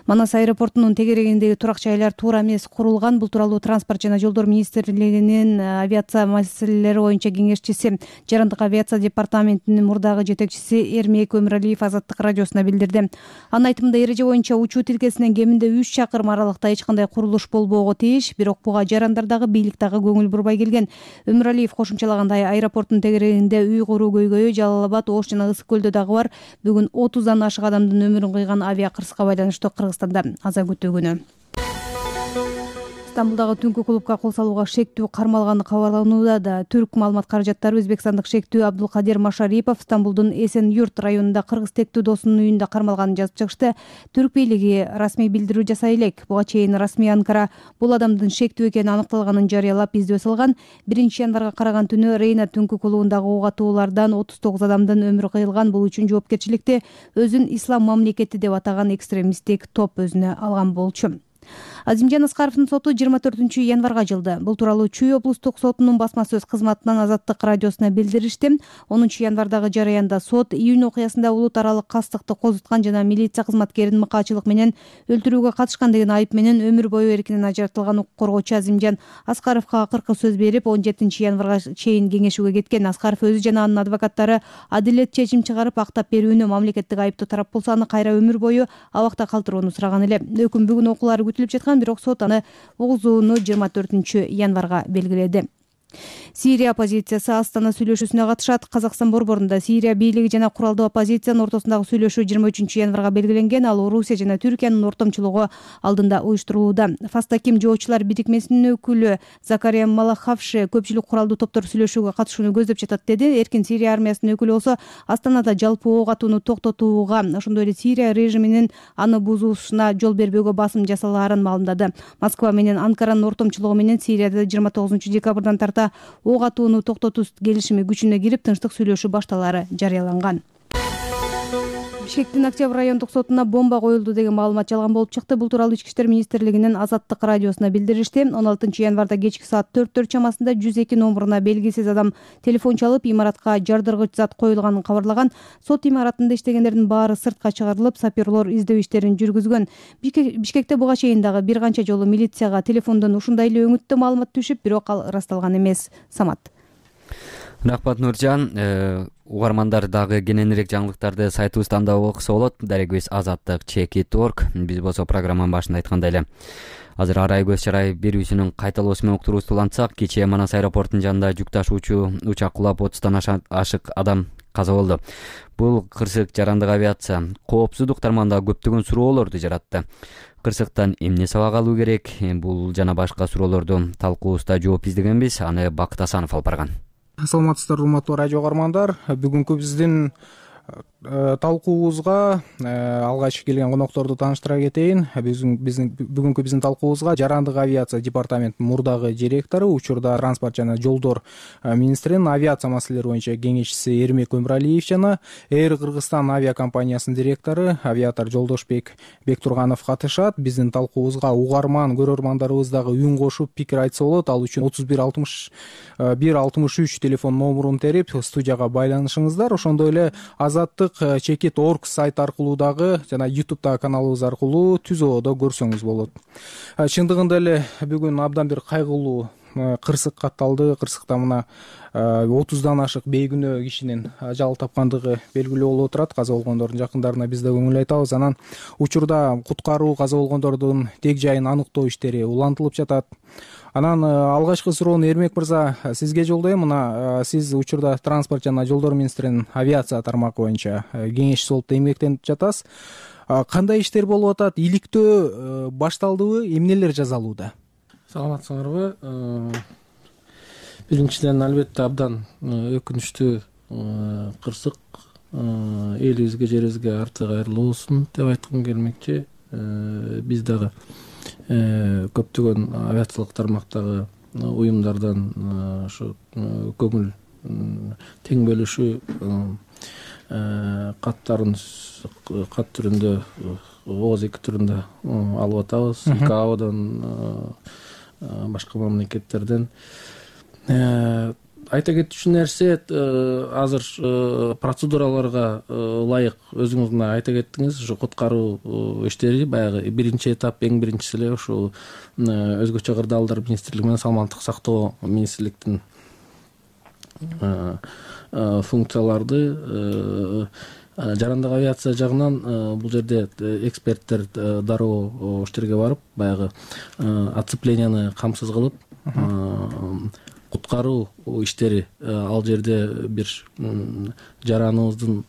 Манас аэропортунун тегерегиндеги турак жайлар туура эмес курулган. Бул тууралуу Транспорт жана жолдор министрлигинин авиация маселелери боюнча кеңешчиси, жарандык авиация департаментинин мурдагы жетекчиси Эрмек Өмүралиев Азаттык радиосуна билдирди. Анын айтымында эреже боюнча учуу тилкесинен кеминде үч чакырым аралыкта эч кандай курулуш болбоого тийиш, бирок буга жарандар дагы, бийлик дагы көңүл бурбай келген. Өмүралиев кошумчалагандай, аэропорттун тегерегинде үй куруу көйгөйү Жалал Абад, Ош жана Ысык көлдө дагы бар. Бүгүн отуздан ашык адамдын өмүрүн кыйган авиа кырсыкка байланыштуу Кыргызстанда аза күтүү күнү. Стамбулдагы түнкү клубка кол салууга шектүү кармалганы кабарланууда. Да түрк маалымат каражаттары өзбекстандык шектүү Абдулкадир Машарипов Стамбулдун Эсен Юрт районунда кыргыз тектүү досунун үйүндө кармалганын жазып чыгышты. Түрк бийлиги расмий билдирүү жасай элек. Буга чейин расмий Анкара бул адамдын шектүү экени аныкталганын жарыялап издөө салган. Биринчи январга караган түнү Рейна түнкү клубундагы ок атуулардан отуз тогуз адамдын өмүрү кыйылган. Бул үчүн жоопкерчиликти өзүн ислам мамлекети деп атаган экстремисттик топ өзүнө алган болчу. Азимжан Аскаровдун соту жыйырма төртүнчү январга жылды. Бул тууралуу Чүй облустук сотунун басма сөз кызматынан Азаттык радиосуна билдиришти. онунчу январдагы жараянда сот июнь окуясында улут аралык кастыкты козуткан жана милиция кызматкерин мыкаачылык менен өлтүрүүгө катышкан деген айып менен өмүр бою эркинен ажыратылган укук коргоочу Азимжан Аскаровго акыркы сөз берип, он жетинчи январга чейин кеңешүүгө кеткен. Аскаров өзү жана анын адвокаттары адилет чечим чыгарып, актап берүүнү, мамлекеттик айыптуу тарап болсо аны кайра өмүр бою абакта калтырууну сураган эле. Өкүм бүгүн окуулары күтүлүп жаткан, бирок сот аны угузууну жыйырма төртүнчү январга белгиледи. Сирия оппозициясы Астана сүйлөшүүсүнө катышат. Казакстан борборунда Сирия бийлиги жана куралдуу оппозициянын ортосундагы сүйлөшүү жыйырма үчүнчү январга белгиленген. Ал Орусия жана Түркиянын ортомчулугу алдында уюштурулууда. Фастаким жоочулар бирикмесинин өкүлү Закария Малахавши көпчүлүк куралдуу топтор сүйлөшүүгө катышууну көздөп жатат деди. Эркин Сирия армиясынын өкүлү болсо Астанада жалпы ок атууну токтотууга, ошондой эле Сирия режиминин аны бузуусуна жол бербөөгө басым жасалаарын маалымдады. Москва менен Анкаранын ортомчулугу менен Сирияда жыйырма тогузунчу декабрдан тарта ок атууну токтотуу келишими күчүнө кирип, тынчтык сүйлөшүү башталары жарыяланган. Бишкектин Октябрь райондук сотуна бомба коюлду деген маалымат жалган болуп чыкты. Бул тууралуу Ички иштер министрлигинин Азаттык радиосуна билдиришти. он алтынчы январда кечки саат төрттөр чамасында жүз эки номуруна белгисиз адам телефон чалып, имаратка жардыргыч зат коюлганын кабарлаган. Сот имаратында иштегендердин баары сыртка чыгарылып, саперлор издөө иштерин жүргүзгөн. Бишкекте буга чейин дагы бир канча жолу милицияга телефондон ушундай эле өңүттүү маалымат түшүп, бирок ал ырасталган эмес. Самат. Рахмат Нуржан. Угармандар дагы кененирээк жаңылыктарды сайтыбыздан да окуса болот. Дарегибиз азаттык чекит точка орг. Биз болсо программанын башында айткандай эле азыр арай көз чарай берүүсүнүн кайталоосу менен уктуруубузду улантсак, кечээ Манас аэропортунун жанында жүк ташуучу учак кулап отуздан ашык адам каза болду. Бул кырсык жарандык авиация коопсуздук тармагында көптөгөн суроолорду жаратты. Кырсыктан эмне сабак алуу керек? Бул жана башка суроолорду талкуубузда жооп издегенбиз. Аны Бакыт Асанов алып барган. Саламатсыздар, урматтуу радио каармандар. Бүгүнкү биздин талкуубузга алгач келген конокторду тааныштыра кетейин. Биздин бүгүнкү биздин талкуубузга жарандык авиация департаментинин мурдагы директору, учурда транспорт жана жолдор министринин авиация маселелери боюнча кеңешчиси Эрмек Өмүралиев жана Air Кыргызстан авиакомпаниясынын директору авиатор Жолдошбек Бектурганов катышат. Биздин талкуубузга угарман көрөрмандарыбыз дагы үн кошуп пикир айтса болот. Ал үчүн отуз бир алтымыш бир алтымыш үч телефон номурун терип студияга байланышыңыздар. Ошондой эле азаттык чекит орг сайт аркылуу дагы жана ютубтагы каналыбыз аркылуу түзөөдө көрсөңүз болот. Чындыгында эле бүгүн абдан бир кайгылуу кырсык катталды. Кырсыкта мына отуздан ашык бейкүнөө кишинин ажал тапкандыгы белгилүү болуп отурат. Каза болгондордун жакындарына биз да көңүл айтабыз. Анан учурда куткаруу каза болгондордун тег жайын аныктоо иштери улантылып жатат. Анан алгачкы суроону Эрмек мырза сизге жолдойм. Мына сиз учурда транспорт жана жолдор министринин авиация тармагы боюнча кеңешчиси болуп эмгектенип жатасыз. Кандай иштер болуп атат? Иликтөө башталдыбы? Эмнелер жасалууда? Саламатсыңарбы? Биринчиден албетте абдан өкүнүчтүү кырсык элибизге, жерибизге арты кайрылуу болсун деп айткым келмекчи. Биз дагы көптөгөн авиациялык тармактагы уюмдардан ушу көңүл тең бөлүшүү каттарын кат түрүндө, ооз эки түрүндө алып атабыз. ИКАОдон, башка мамлекеттерден. Айта кетчү нерсе, азыр процедураларга ылайык өзүңүз мына айта кеттиңиз, ушу куткаруу иштери баягы биринчи этап, эң биринчиси эле ушул өзгөчө кырдаалдар министрлиги менен саламаттык сактоо министрликтин функцияларды жарандык авиация жагынан бул жерде эксперттер дароо иштерге барып, баягы оцепленияны камсыз кылып куткаруу иштери ал жерде бир жараныбыздын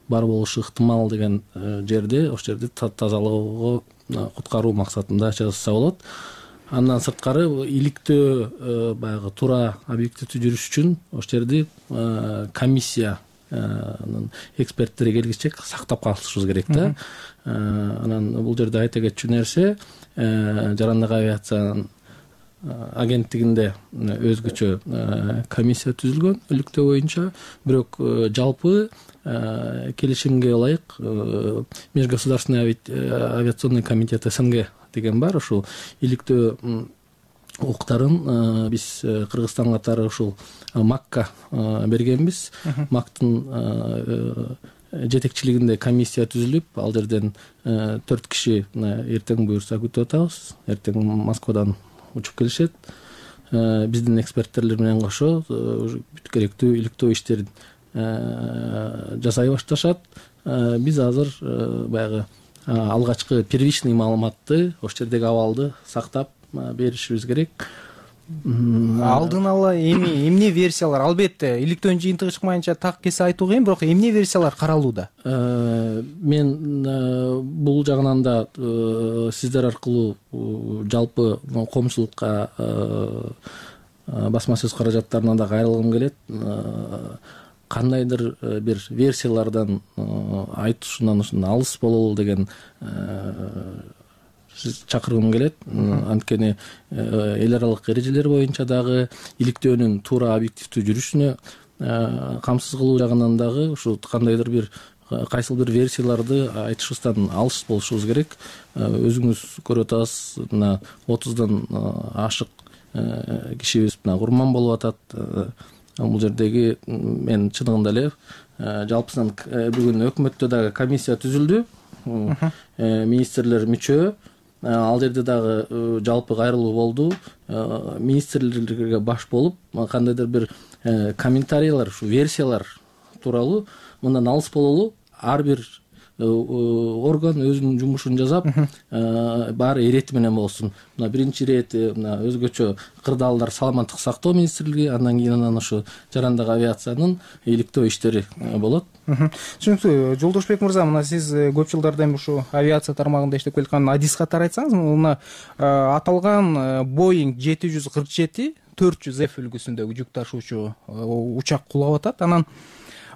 бар болушу ыктымал деген жерде, ошол жерде тазалоого куткаруу максатында жасаса болот. Андан сырткары иликтөө баягы туура объективдүү жүрүш үчүн ошол жерде комиссиянын эксперттери келгиче сактап калышыбыз керек да. Анан бул жерде айта кетчү нерсе, жарандык авиациянын агенттигинде өзгөчө комиссия түзүлгөн иликтөө боюнча, бирок жалпы келишимге ылайык Межгосударственный авиационный комитет СНГ деген бар. Ушул иликтөө укуктарын биз Кыргызстан катары ушул МАКка бергенбиз. МАКтын жетекчилигинде комиссия түзүлүп, ал жерден төрт киши эртең буюрса күтүп атабыз. Эртең Москвадан учуп келишет. Биздин эксперттер менен кошо бүт керектүү иликтөө иштерин жасай башташат. Биз азыр баягы алгачкы первичный маалыматты, ошол жердеги абалды сактап беришибиз керек. Алдын ала эми эмне версиялар, албетте иликтөөнүн жыйынтыгы чыкмайынча так кесе айтуу кыйын, бирок эмне версиялар каралууда? Мен бул жагынан да сиздер аркылуу жалпы коомчулукка басма сөз каражаттарына да кайрылгым келет. Кандайдыр бир версиялардан айтышынан алыс бололу деген чакыргым келет. Анткени эл аралык эрежелер боюнча дагы иликтөөнүн туура объективдүү жүрүшүнө камсыз кылуу жагынан дагы ушул кандайдыр бир кайсыл бир версияларды айтышыбыздан алыс болушубуз керек. Өзүңүз көрүп атасыз, мына отуздан ашык кишибиз мына курман болуп атат. Бул жердеги мен чындыгында эле жалпысынан бүгүн өкмөттө дагы комиссия түзүлдү. Министрлер мүчө, ал жерде дагы жалпы кайрылуу болду. Министрлерге баш болуп, кандайдыр бир комментарийлер, ушу версиялар тууралуу мындан алыс бололу, ар бир орган өзүнүн жумушун жасап баары ирети менен болсун. Мына биринчи ирет мына өзгөчө кырдаалдар саламаттык сактоо министрлиги, андан кийин анан ошо жарандык авиациянын иликтөө иштери болот. Түшүнүктүү. Жолдошбек мырза, мына сиз көп жылдардан ушу авиация тармагында иштеп келаткан адис катары айтсаңыз, мына аталган Boeing жети жүз кырк жети төрт жүз эф үлгүсүндөгү жүк ташуучу учак кулап атат. Анан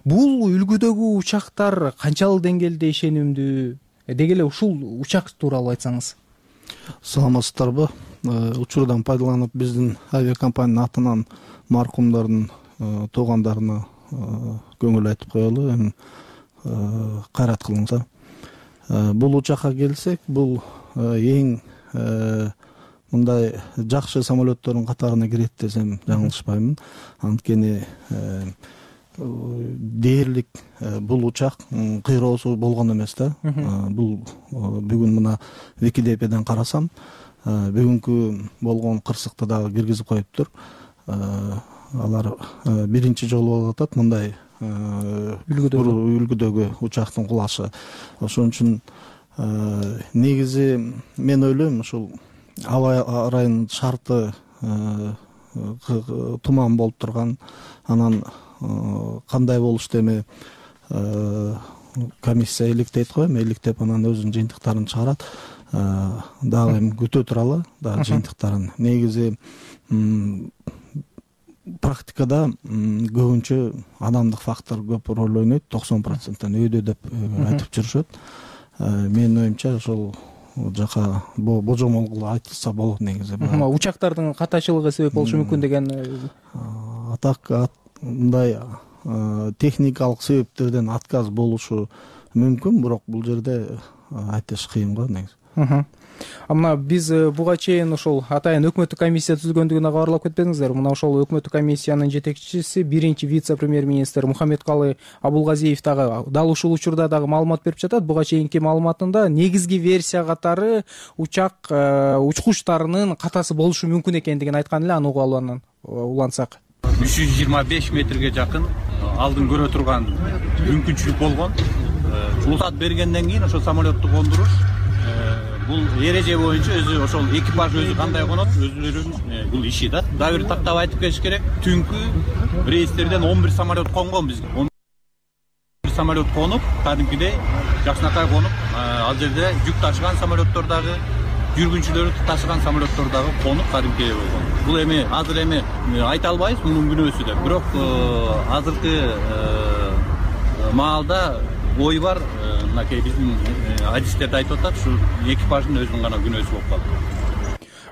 бул үлгүдөгү учактар канчалык деңгээлде ишенимдүү? Деги эле ушул учак тууралуу айтсаңыз. Саламатсыздарбы? Учурдан пайдаланып биздин авиакомпаниянын атынан маркумдардын туугандарына көңүл айтып коелу, эми кайрат кылыңыздар. Бул учакка келсек, бул эң мындай жакшы самолеттордун катарына кирет десем жаңылышпаймын. Анткени дээрлик бул учак кыйроосу болгон эмес да. Бул бүгүн мына Википедиядан карасам, бүгүнкү болгон кырсыкты дагы киргизип коюптур. Алар биринчи жолу болуп атат мындай үлгүдөгү учактын кулашы. Ошон үчүн негизи мен ойлойм, ушул аба ырайынын шарты туман болуп турган, анан кандай болушту эми комиссия иликтейт го, эми иликтеп анан өзүнүн жыйынтыктарын чыгарат. Дагы эми күтө туралы дагы жыйынтыктарын. Негизи практикада көбүнчө адамдык фактор көп роль ойнойт, токсон проценттен өйдө деп айтып жүрүшөт. Менин оюмча ошол жака божомол айтылса болот негизи. Учактардын катачылыгы себеп болушу мүмкүн деген. Атак мындай техникалык себептерден отказ болушу мүмкүн, бирок бул жерде айтыш кыйын го негизи. Мына биз буга чейин ошол атайын өкмөттүк комиссия түзүлгөндүгүнө кабарлап кетпедиңиздер. Мына ошол өкмөттүк комиссиянын жетекчиси, биринчи вице-премьер-министр Мухаммедкалы Абулгазиев дагы дал ушул учурда дагы маалымат берип жатат. Буга чейинки маалыматында негизги версия катары учак учкучтарынын катасы болушу мүмкүн экендигин айткан эле, аны угуп алгандан улантсак. үч жүз жыйырма беш метрге жакын алдын көрө турган мүмкүнчүлүк болгон. Уруксат бергенден кийин ошол самолетту кондуруш бул эреже боюнча өзү ошол экипаж өзү кандай конот, өзүлөрүнүн бул иши да. Дагы бир тактап айтып кетиш керек. Түнкү рейстерден он бир самолет конгон бизге. он бир самолет конуп, кадимкидей жакшынакай конуп, ал жерде жүк ташыган самолеттор дагы, жүргүнчүлөрдү ташыган самолеттор дагы конуп кадимкидей болгон. Бул эми азыр эми айта албайбыз мунун күнөөсү деп. Бирок азыркы маалда ой бар, мынакей биздин адистерди айтып атат, ушу экипаждын өзүнүн гана күнөөсү болуп калды.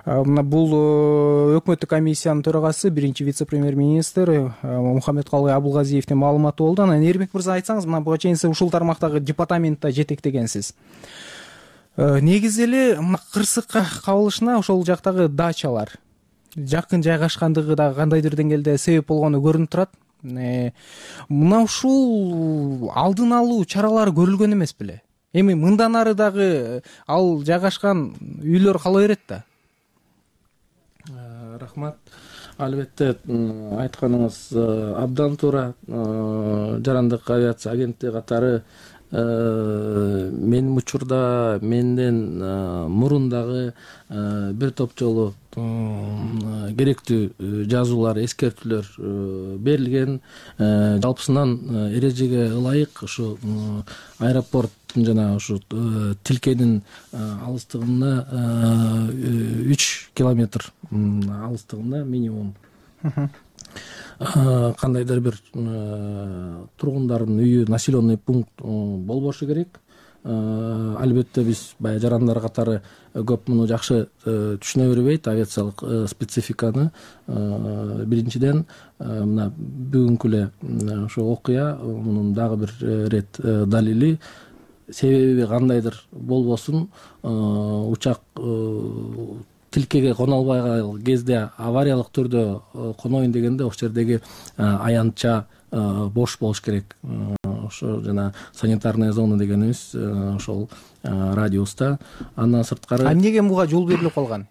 Мына бул өкмөттүк комиссиянын төрагасы, биринчи вице-премьер-министр Мухаммедкалы Абулгазиевдин маалыматы болду. Анан Эрбек мырза, айтсаңыз, мына буга чейин сиз ушул тармактагы департаментте жетектегенсиз. Негизи эле кырсыкка кабылышына ошол жактагы дачалар жакын жайгашкандыгы дагы кандайдыр деңгээлде себеп болгону көрүнүп турат. Мына ушул алдын алуу чаралары көрүлгөн эмес беле? Эми мындан ары дагы ал жайгашкан үйлөр кала берет да. Рахмат. Албетте айтканыңыз абдан туура. Жарандык авиация агенттиги катары менин учурда менден мурун дагы бир топ жолу керектүү жазуулар, эскертүүлөр берилген. Жалпысынан эрежеге ылайык ушу аэропорттун жана ушу тилкенин алыстыгына үч километр алыстыгында минимум кандайдыр бир тургундардын үйү, населенный пункт болбошу керек. Албетте биз баягы жарандар катары көп муну жакшы түшүнө бербейт, авиациялык спецификаны. Биринчиден мына бүгүнкү эле ошо окуя мунун дагы бир рет далили. Себеби кандайдыр болбосун, учак тилкеге коно албай кезде авариялык түрдө коноюн дегенде ошол жердеги аянтча бош болуш керек. Ошо жана санитарная зона дегенибиз ошол радиуста. Андан сырткары. А эмнеге буга жол берилип калган?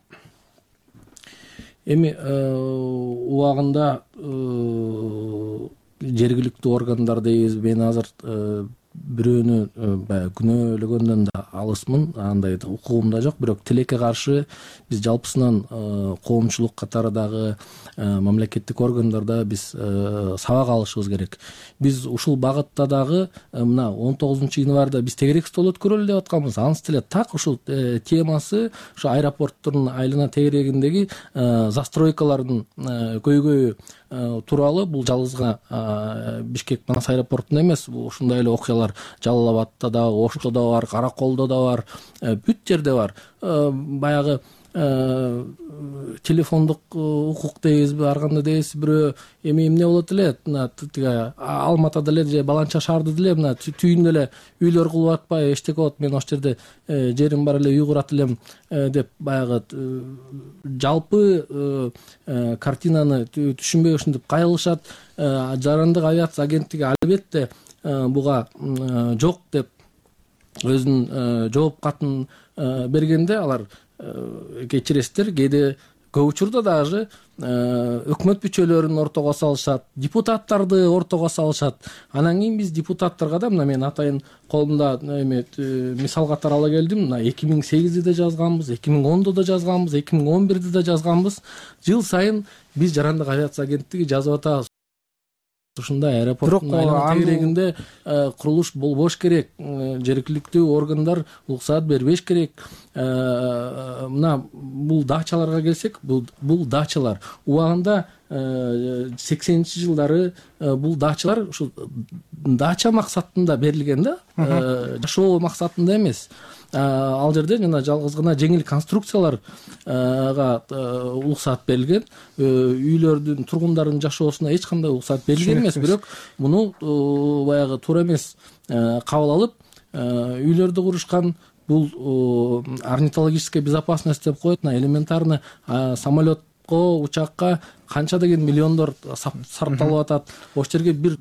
Эми убагында жергиликтүү органдар дейбиз, мен азыр бирөөнү баягы күнөөлөгөндөн да алысмын, андай укугум да жок. Бирок тилекке каршы биз жалпысынан коомчулук катары дагы мамлекеттик органдарда биз сабак алышыбыз керек. Биз ушул багытта дагы мына он тогузунчу январда биз тегерек стол өткөрөлү деп атканбыз. Анысы деле так ушул темасы ушу аэропорттун айлана тегерегиндеги застройкалардын көйгөйү тууралуу. Бул жалгыз гана Бишкек Манас аэропортунда эмес, ушундай эле окуялар Жалал Абадта да, Ошто да бар, Караколдо да бар, бүт жерде бар. Баягы телефондук укук дейбизби, ар кандай дейбиз, бирөө эми эмне болот эле, мына тиги Алматада эле же Баланча шаарда деле мына түйүндө эле үйлөр кылып атпай, эчтеке болот, мен ошол жерде жерим бар эле, үй курат элем деп баягы жалпы картинаны түшүнбөй ушинтип кайрылышат. Жарандык авиация агенттиги албетте буга жок деп өзүнүн жооп катын бергенде алар кечиресиздер, кээде көп учурда даже өкмөт мүчөлөрүн ортого салышат, депутаттарды ортого салышат. Анан кийин биз депутаттарга да, мына мен атайын колумда эме мисал катары ала келдим. Мына эки миң сегизде да жазганбыз, эки миң ондо да жазганбыз, эки миң он бирде да жазганбыз. Жыл сайын биз жарандык авиация агенттиги жазып атабыз. Ушундай аэропорттун айлана тегерегинде курулуш болбош керек, жергиликтүү органдар уруксаат бербеш керек. Мына бул дачаларга келсек, бул дачалар убагында сексенинчи жылдары бул дачалар ушул дача максатында берилген да, жашоо максатында эмес. Ал жерде жана жалгыз гана жеңил конструкцияларга уруксаат берилген. Үйлөрдүн, тургундардын жашоосуна эч кандай уруксаат берилген эмес, бирок муну баягы туура эмес кабыл алып үйлөрдү курушкан. Бул орнитологическая безопасность деп коет, элементарно самолетко, учакка канча деген миллиондор сарпталып атат. Ошол жерге бир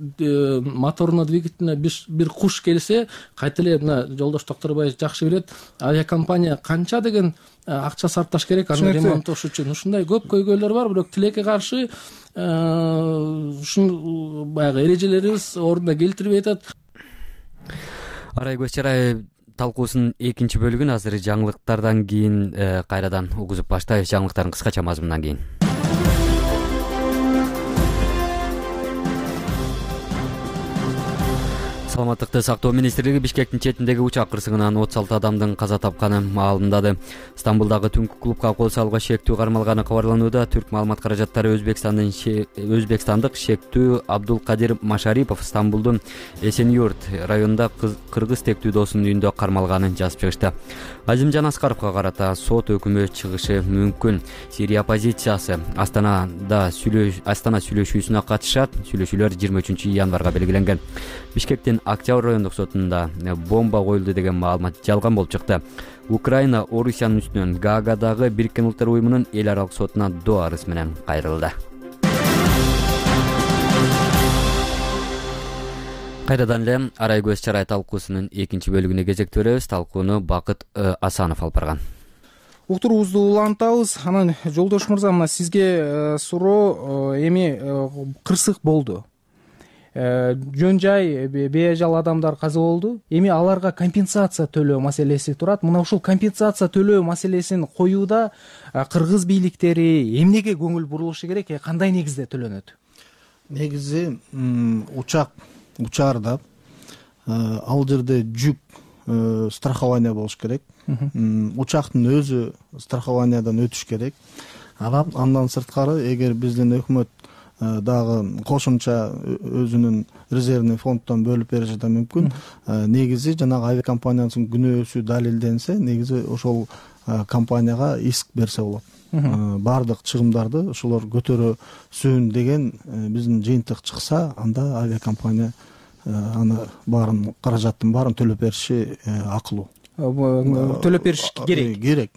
моторуна, двигателине бир куш келсе, кайта эле мына жолдош Токторбаев жакшы билет, авиакомпания канча деген акча сарпташ керек аны ремонттош үчүн. Ушундай көп көйгөйлөр бар, бирок тилекке каршы ушул баягы эрежелерибиз ордуна келтирбей атат. Арай Көчарай талкуусунун экинчи бөлүгүн азыр жаңылыктардан кийин кайрадан угузуп баштайбыз. Жаңылыктардын кыскача мазмунунан кийин. Саламаттыкты сактоо министрлиги Бишкектин четиндеги учак кырсыгынан отуз алты адамдын каза тапканын маалымдады. Стамбулдагы түнкү клубка кол салууга шектүү кармалганы кабарланууда. Түрк маалымат каражаттары Өзбекстандын өзбекстандык шектүү Абдулкадир Машарипов Стамбулдун Эсенюрт районунда кыргыз тектүү досунун үйүндө кармалганын жазып чыгышты. Азимжан Аскаровго карата сот өкүмү чыгышы мүмкүн. Сирия оппозициясы Астанада Астана сүйлөшүүсүнө катышат. Сүйлөшүүлөр жыйырма үчүнчү январга белгиленген. Бишкектин Октябрь райондук сотунда бомба коюлду деген маалымат жалган болуп чыкты. Украина Орусиянын үстүнөн Гаагадагы Бириккен Улуттар уюмунун эл аралык сотуна доо арыз менен кайрылды. Кайрадан эле Арай Көчарай талкуусунун экинчи бөлүгүнө кезек беребиз. Талкууну Бакыт Асанов алып барган. Уктуруубузду улантабыз. Анан жолдош мырза, мына сизге суроо, эми кырсык болду. Жөн жай бейажал адамдар каза болду. Эми аларга компенсация төлөө маселеси турат. Мына ушул компенсация төлөө маселесин коюуда кыргыз бийликтери эмнеге көңүл бурулушу керек, кандай негизде төлөнөт? Негизи учак учаарда ал жерде жүк страхование болуш керек. Учактын өзү страхованиядан өтүш керек. Андан сырткары, эгер биздин өкмөт дагы кошумча өзүнүн резервный фонддон бөлүп бериши да мүмкүн. Негизи жанагы авиакомпаниянын күнөөсү далилденсе, негизи ошол компанияга иск берсе болот. Бардык чыгымдарды ошолор көтөрөсүн деген биздин жыйынтык чыкса, анда авиакомпания аны баарын каражаттын баарын төлөп бериши акылуу. Төлөп бериш керек. Керек.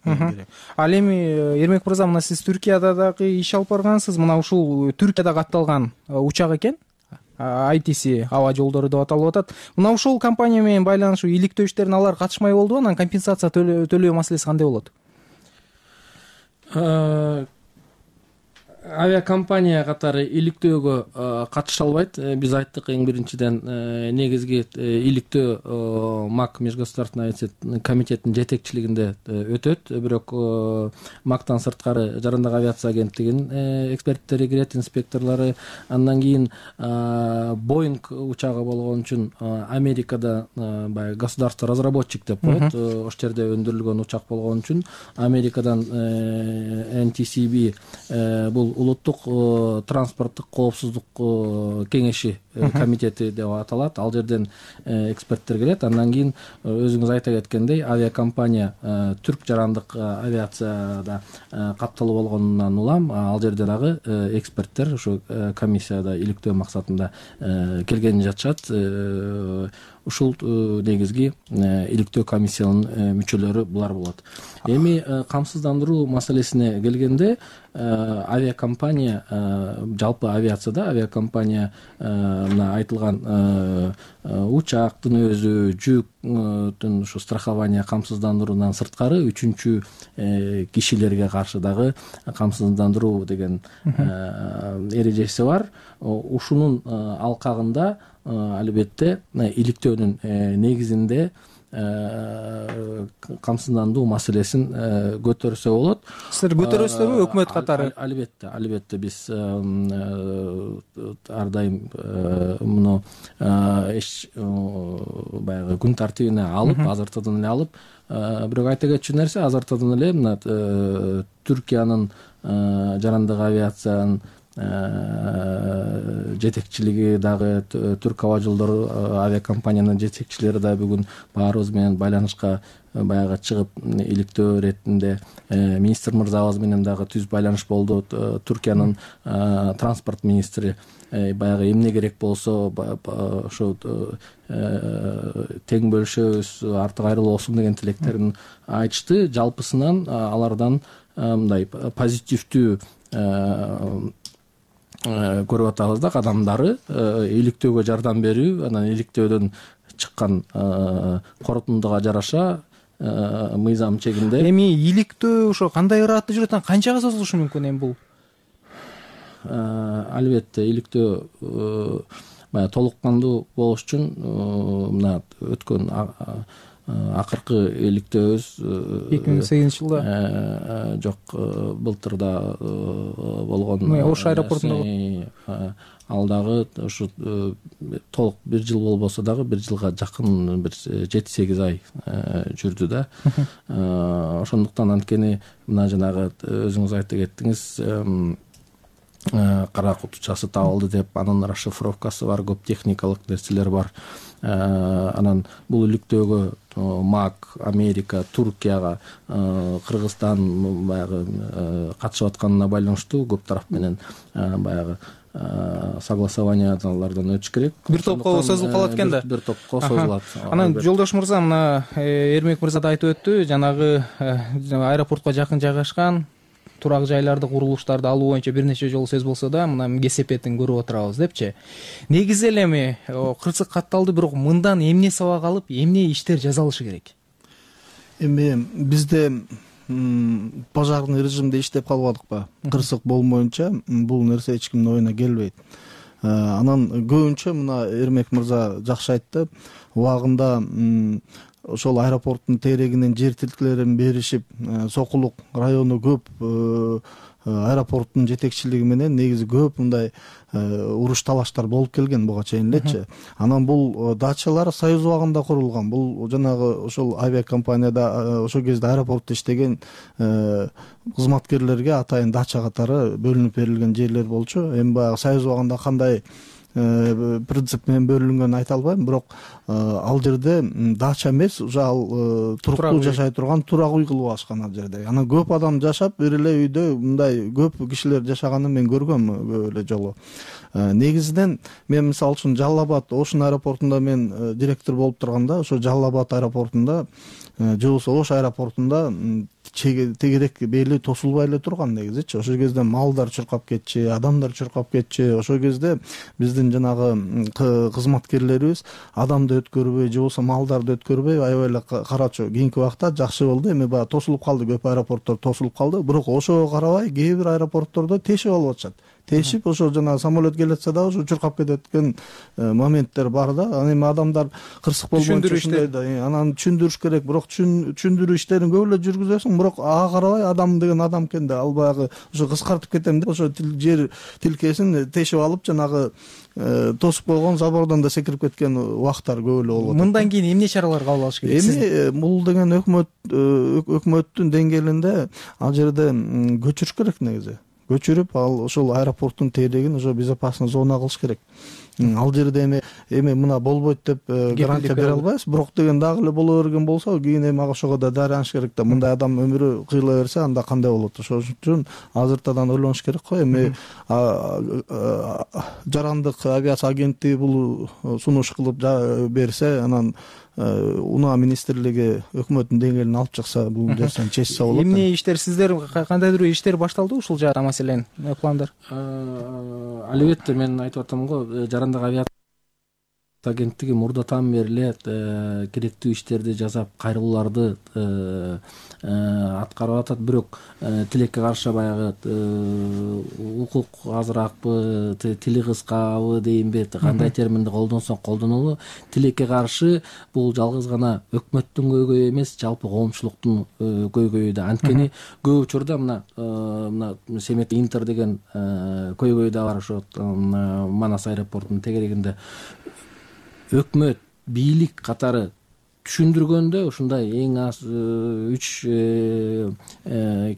Ал эми Эрмек мырза, мына сиз Түркияда дагы иш алып баргансыз. Мына ушул Түркияда катталган учак экен. ай ти си аба жолдору деп аталып атат. Мына ушул компания менен байланышуу иликтөө иштерине алар катышмай болду. Анан компенсация төлөө маселеси кандай болот? авиакомпания катары иликтөөгө катыша албайт. Биз айттык эң биринчиден негизги иликтөө МАК межгосударственный комитеттин жетекчилигинде өтөт. Бирок МАКтан сырткары жарандык авиация агенттигинин эксперттери кирет, инспекторлору. Андан кийин Боинг учагы болгон үчүн Америкада баягы государство разработчик деп коет. Ошол жерде өндүрүлгөн учак болгон үчүн Америкадан эн ти си би бул улуттук транспорттук коопсуздук кеңеши комитети деп аталат. Ал жерден эксперттер келет. Андан кийин өзүңүз айта кеткендей авиакомпания түрк жарандык авиацияда катталуу болгонунан улам ал жерде дагы эксперттер ошо комиссияда иликтөө максатында келген жатышат. Ушул негизги иликтөө комиссиянын мүчөлөрү булар болот. Эми камсыздандыруу маселесине келгенде авиакомпания жалпы авиацияда авиакомпания мына айтылган учактын өзү жүктүн ушу страхование камсыздандыруудан сырткары үчүнчү кишилерге каршы дагы камсыздандыруу деген эрежеси бар. Ушунун алкагында албетте иликтөөнүн негизинде камсыздандыруу маселесин көтөрсө болот. Силер көтөрөсүзбү өкмөт катары? Албетте, албетте биз ар дайым муну баягы күн тартибине алып, азыртуудан эле алып, бирок айта кетчү нерсе азыртуудан эле мына Түркиянын жарандык авиациянын жетекчилиги дагы Түрк Аба Жолдору авиакомпаниянын жетекчилери да бүгүн баарыбыз менен байланышка баягы чыгып иликтөө иретинде министр мырзабыз менен дагы түз байланыш болду. Түркиянын транспорт министри баягы эмне керек болсо ошо тең бөлүшөбүз, артык айрылбосун деген тилектерин айтышты. Жалпысынан алардан мындай позитивдүү көрүп атабыз да кадамдары иликтөөгө жардам берүү, анан иликтөөдөн чыккан корутундуга жараша мыйзам чегинде. Эми иликтөө ошо кандай ыраатта жүрөт, канчага созулушу мүмкүн эми бул? Албетте иликтөө баягы толук кандуу болуш үчүн мына өткөн акыркы иликтөөбүз эки миң сегизинчи жылда жок, былтырда болгон Ош аэропортунда ал дагы ушу толук бир жыл болбосо дагы бир жылга жакын бир жети сегиз ай жүрдү да. Ошондуктан анткени мына жанагы өзүңүз айта кеттиңиз, кара кутучасы табылды деп, анын расшифровкасы бар, көп техникалык нерселер бар. Анан бул иликтөөгө МАК, Америка, Туркияга, Кыргызстан баягы катышып атканына байланыштуу көп тараф менен баягы согласованиялардан өтүш керек. Бир топко созулуп калат экен да. Бир топко созулат. Анан жолдош мырза, мына Эрмек мырза да айтып өттү, жанагы аэропортко жакын жайгашкан турак жайларды, курулуштарды алуу боюнча бир нече жолу сөз болсо да, мына кесепетин көрүп отурабыз депчи. Негизи эле эми кырсык катталды, бирок мындан эмне сабак алып, эмне иштер жасалышы керек? Эми бизде пожарный режимде иштеп калбадыкпы? Кырсык болмоюнча бул нерсе эч кимдин оюна келбейт. Анан көбүнчө мына Эрмек мырза жакшы айтты, убагында ошол аэропорттун тегерегинен жер тилкелерин беришип, Сокулук району көп аэропорттун жетекчилиги менен негизи көп мындай уруш талаштар болуп келген буга чейин элечи. Анан бул дачалар Союз убагында курулган. Бул жанагы ошол авиакомпанияда ошол кезде аэропортто иштеген кызматкерлерге атайын дача катары бөлүнүп берилген жерлер болчу. Эми баягы Союз убагында кандай принцип менен бөлүнгөнүн айта албайм, бирок ал жерде дача эмес, уже ал туруктуу жашай турган турак үй кылып алышкан ал жерде. Анан көп адам жашап, бир эле үйдө мындай көп кишилер жашаганын мен көргөм көп эле жолу. Негизинен мен мисалы үчүн Жалал Абад Ошун аэропортунда мен директор болуп турганда, ошо Жалал Абад аэропортунда же болбосо Ош аэропортунда тегерек бели тосулбай эле турган негизичи. Ошол кезде малдар чуркап кетчү, адамдар чуркап кетчү. Ошол кезде биздин жанагы кызматкерлерибиз адамды өткөрбөй же болбосо малдарды өткөрбөй аябай эле карачу. Кийинки убакта жакшы болду. Эми баягы тосулуп калды, көп аэропорттор тосулуп калды. Бирок ошого карабай кээ бир аэропорттордо тешип алып атышат. Тешип ошо жанагы самолет келатса дагы ошо чуркап кететкен моменттер бар да. Анан эми адамдар кырсык болбойнчо ушундай да. Анан түшүндүрүш керек, бирок түшүндүрүү иштерин көп эле жүргүзөсүң, бирок ага карабай адам деген адам экен да. Ал баягы ошо кыскартып кетем деп ошо жер тилкесин тешип алып жанагы тосуп койгон забордон да секирип кеткен убактар көп эле болот. Мындан кийин эмне чаралар кабыл алыш керек? Эми бул деген өкмөт өкмөттүн деңгээлинде ал жерде көчүрүш керек негизи. Көчүрүп ал ошол аэропорттун тейлегин ошо безопасный зона кылыш керек. Ал жерде эми эми мына болбойт деп гарантия бере албайбыз, бирок деген дагы эле боло берген болсо кийин эми ошого да дарыяныш керек да. Мындай адам өмүрү кыйыла берсе анда кандай болот? Ошол үчүн азыртадан ойлонуш керек го. Эми жарандык авиация агенттиги бул сунуш кылып берсе, анан унаа министрлиги өкмөттүн деңгээлине алып чыкса, бул нерсени чечсе болот. Эмне иштер сиздер кандайдыр иштер башталды ушул жаатта маселен? Пландар? Албетте мен айтып атам го, жарандык авиация агенттиги мурдатан бери эле керектүү иштерди жасап, кайрылууларды аткарып атат. Бирок тилекке каршы баягы укук азыракпы, тили кыскабы дейинби, кандай терминди колдонсоң колдонулу, тилекке каршы бул жалгыз гана өкмөттүн көйгөйү эмес, жалпы коомчулуктун көйгөйү да. Анткени көп учурда мына мына Семет Интер деген көйгөй да бар, ошо Манас аэропортунун тегерегинде өкмөт, бийлик катары түшүндүргөндө ушундай эң аз үч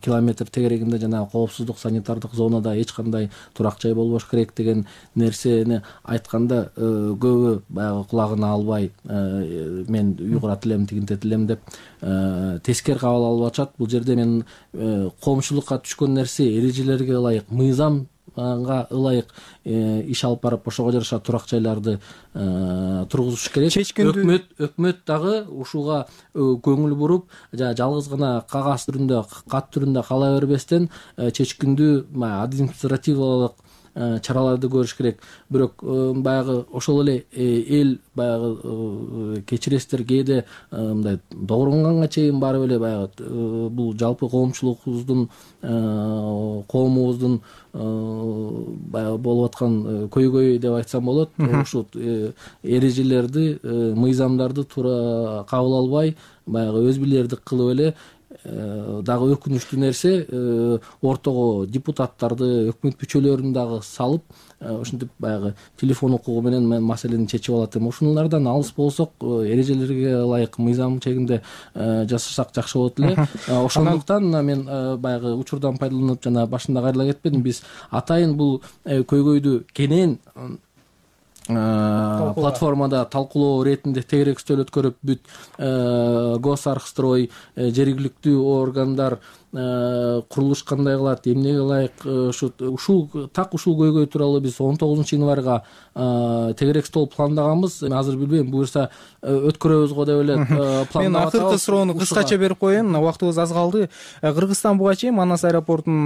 километр тегерегинде жанагы коопсуздук санитардык зонада эч кандай турак жай болбош керек деген нерсени айтканда көбү баягы кулагына албай мен уйгурат элем, тигинтет элем деп тескери кабыл алып атышат. Бул жерде мен коомчулукка түшкөн нерсе эрежелерге ылайык, мыйзам га ылайык иш алып барып, ошого жараша турак жайларды тургузуш керек. Өкмөт өкмөт дагы ушуга көңүл буруп, жалгыз гана кагаз түрүндө, кат түрүндө кала бербестен чечкиндүү административдик чараларды көрүш керек. Бирок баягы ошол эле эл баягы кечиресиздер, кээде мындай догронгонго чейин барып эле баягы бул жалпы коомчулугубуздун, коомубуздун баягы болуп аткан көйгөй деп айтсам болот. Ушул эрежелерди, мыйзамдарды туура кабыл албай, баягы өз билердик кылып эле дагы өкүнүчтүү нерсе, ортого депутаттарды, өкмөт мүчөлөрүн дагы салып, ушинтип баягы телефон укугу менен маселени чечип алат. Эми ушулардан алыс болсок, эрежелерге ылайык мыйзам чегинде жасасак жакшы болот эле. Ошондуктан мен баягы учурдан пайдаланып жана башында кайрыла кетпедим. Биз атайын бул көйгөйдү кенен платформада талкуулоо иретинде тегерек үстөл өткөрүп, бүт Госархстрой, жергиликтүү органдар курулуш кандай кылат, эмнеге ылайык, ушул так ушул көйгөй тууралуу биз он тогузунчу январга тегерек стол пландаганбыз. Эми азыр билбейм, буюрса өткөрөбүз го деп эле пландап атабыз. Мен акыркы суроону кыскача берип коеюн, убактыбыз аз калды. Кыргызстан буга чейин Манас аэропортунун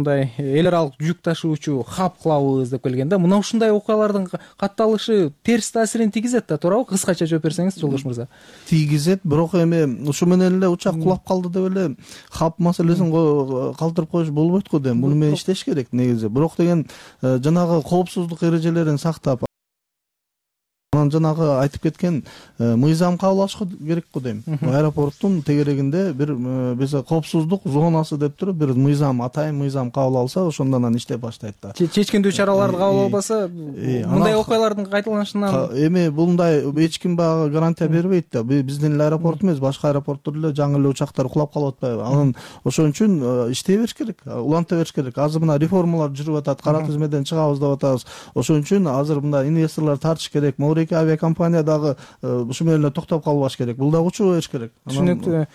мындай эл аралык жүк ташуучу хаб кылабыз деп келген да. Мына ушундай окуялардын катталышы терс таасирин тийгизет да, туурабы? Кыскача жооп берсеңиз, Жолдош мырза. Тийгизет, бирок эми ушу менен эле учак кулап калды деп эле хаб маселесин калтырып коюш болбойт го дейм. Муну менен иштеш керек негизи. Бирок деген жанагы коопсуздук эрежелерин сактап, анан жанагы айтып кеткен мыйзам кабыл алыш керек го дейм. Аэропорттун тегерегинде бир биз коопсуздук зонасы деп туруп бир мыйзам, атайын мыйзам кабыл алса, ошондон анан иштеп баштайт да. Чечкиндүү чараларды кабыл албаса, мындай окуялардын кайталанышынан эми мындай эч ким баягы гарантия бербейт да. Биздин эле аэропорт эмес, башка аэропорттор эле жаңы эле учактар кулап калып атпайбы? Анан ошон үчүн иштей бериш керек, уланта бериш керек. Азыр мына реформалар жүрүп атат, кара тизмеден чыгабыз деп атабыз. Ошон үчүн азыр мындай инвесторлор тартыш керек. Моурек бишкек авиакомпания дагы ушу менен эле токтоп калбаш керек. Бул дагы учуу болуш керек. Түшүнүктүү.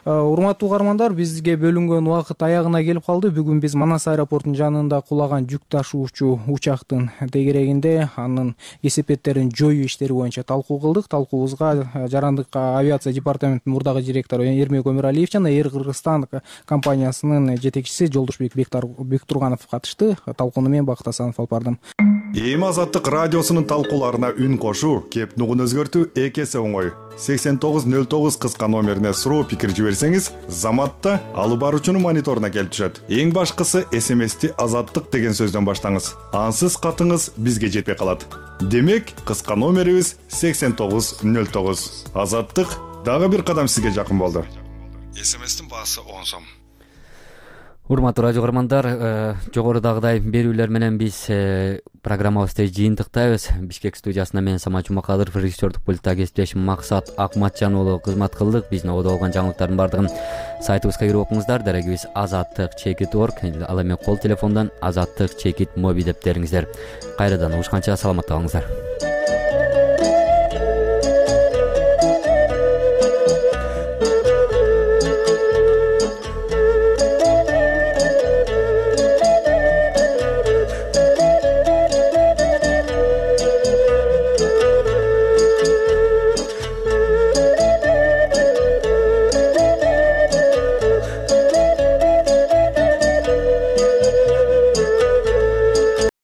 Урматтуу угармандар, бизге бөлүнгөн убакыт аягына келип калды. Бүгүн биз Манас аэропортунун жанында кулаган жүк ташуучу учактын тегерегинде анын кесепеттерин жоюу иштери боюнча талкуу кылдык. Талкуубузга Жарандык авиация департаментинин мурдагы директору Эрмек Өмүралиев жана Air Кыргызстан компаниясынын жетекчиси Жолдошбек Бектурганов катышты. Талкууну мен Бакыт Асанов алып бардым. Эми Азаттык радиосунун талкууларына үн кошуу, кеп нугун өзгөртүү эки эсе оңой. сексен тогуз нөл тогуз кыска номерине суроо пикир жиберсеңиз, Заматта алып баруучунун мониторуна келип түшөт. Эң башкысы эс эм эсти Азаттык деген сөздөн баштаңыз. Ансыз катыңыз бизге жетпей калат. Демек, кыска номерибиз сексен тогуз нөл тогуз. Азаттык дагы бир кадам сизге жакын болду. эс эм эстин баасы он сом. Урматтуу радио көрөрмандар, жогорудагыдай берүүлөр менен биз программабызды жыйынтыктайбыз. Бишкек студиясында мен Самат Жумакадыров, режиссердук пультта кесиптешим Максат Акматжан уулу кызмат кылдык. Биздин ободо болгон жаңылыктардын бардыгын сайтыбызга кирип окуңуздар. Дарегибиз азаттык чекит точка орг, ал эми кол телефондон азаттык чекит моби деп териңиздер. Кайрадан угушканча саламатта калыңыздар.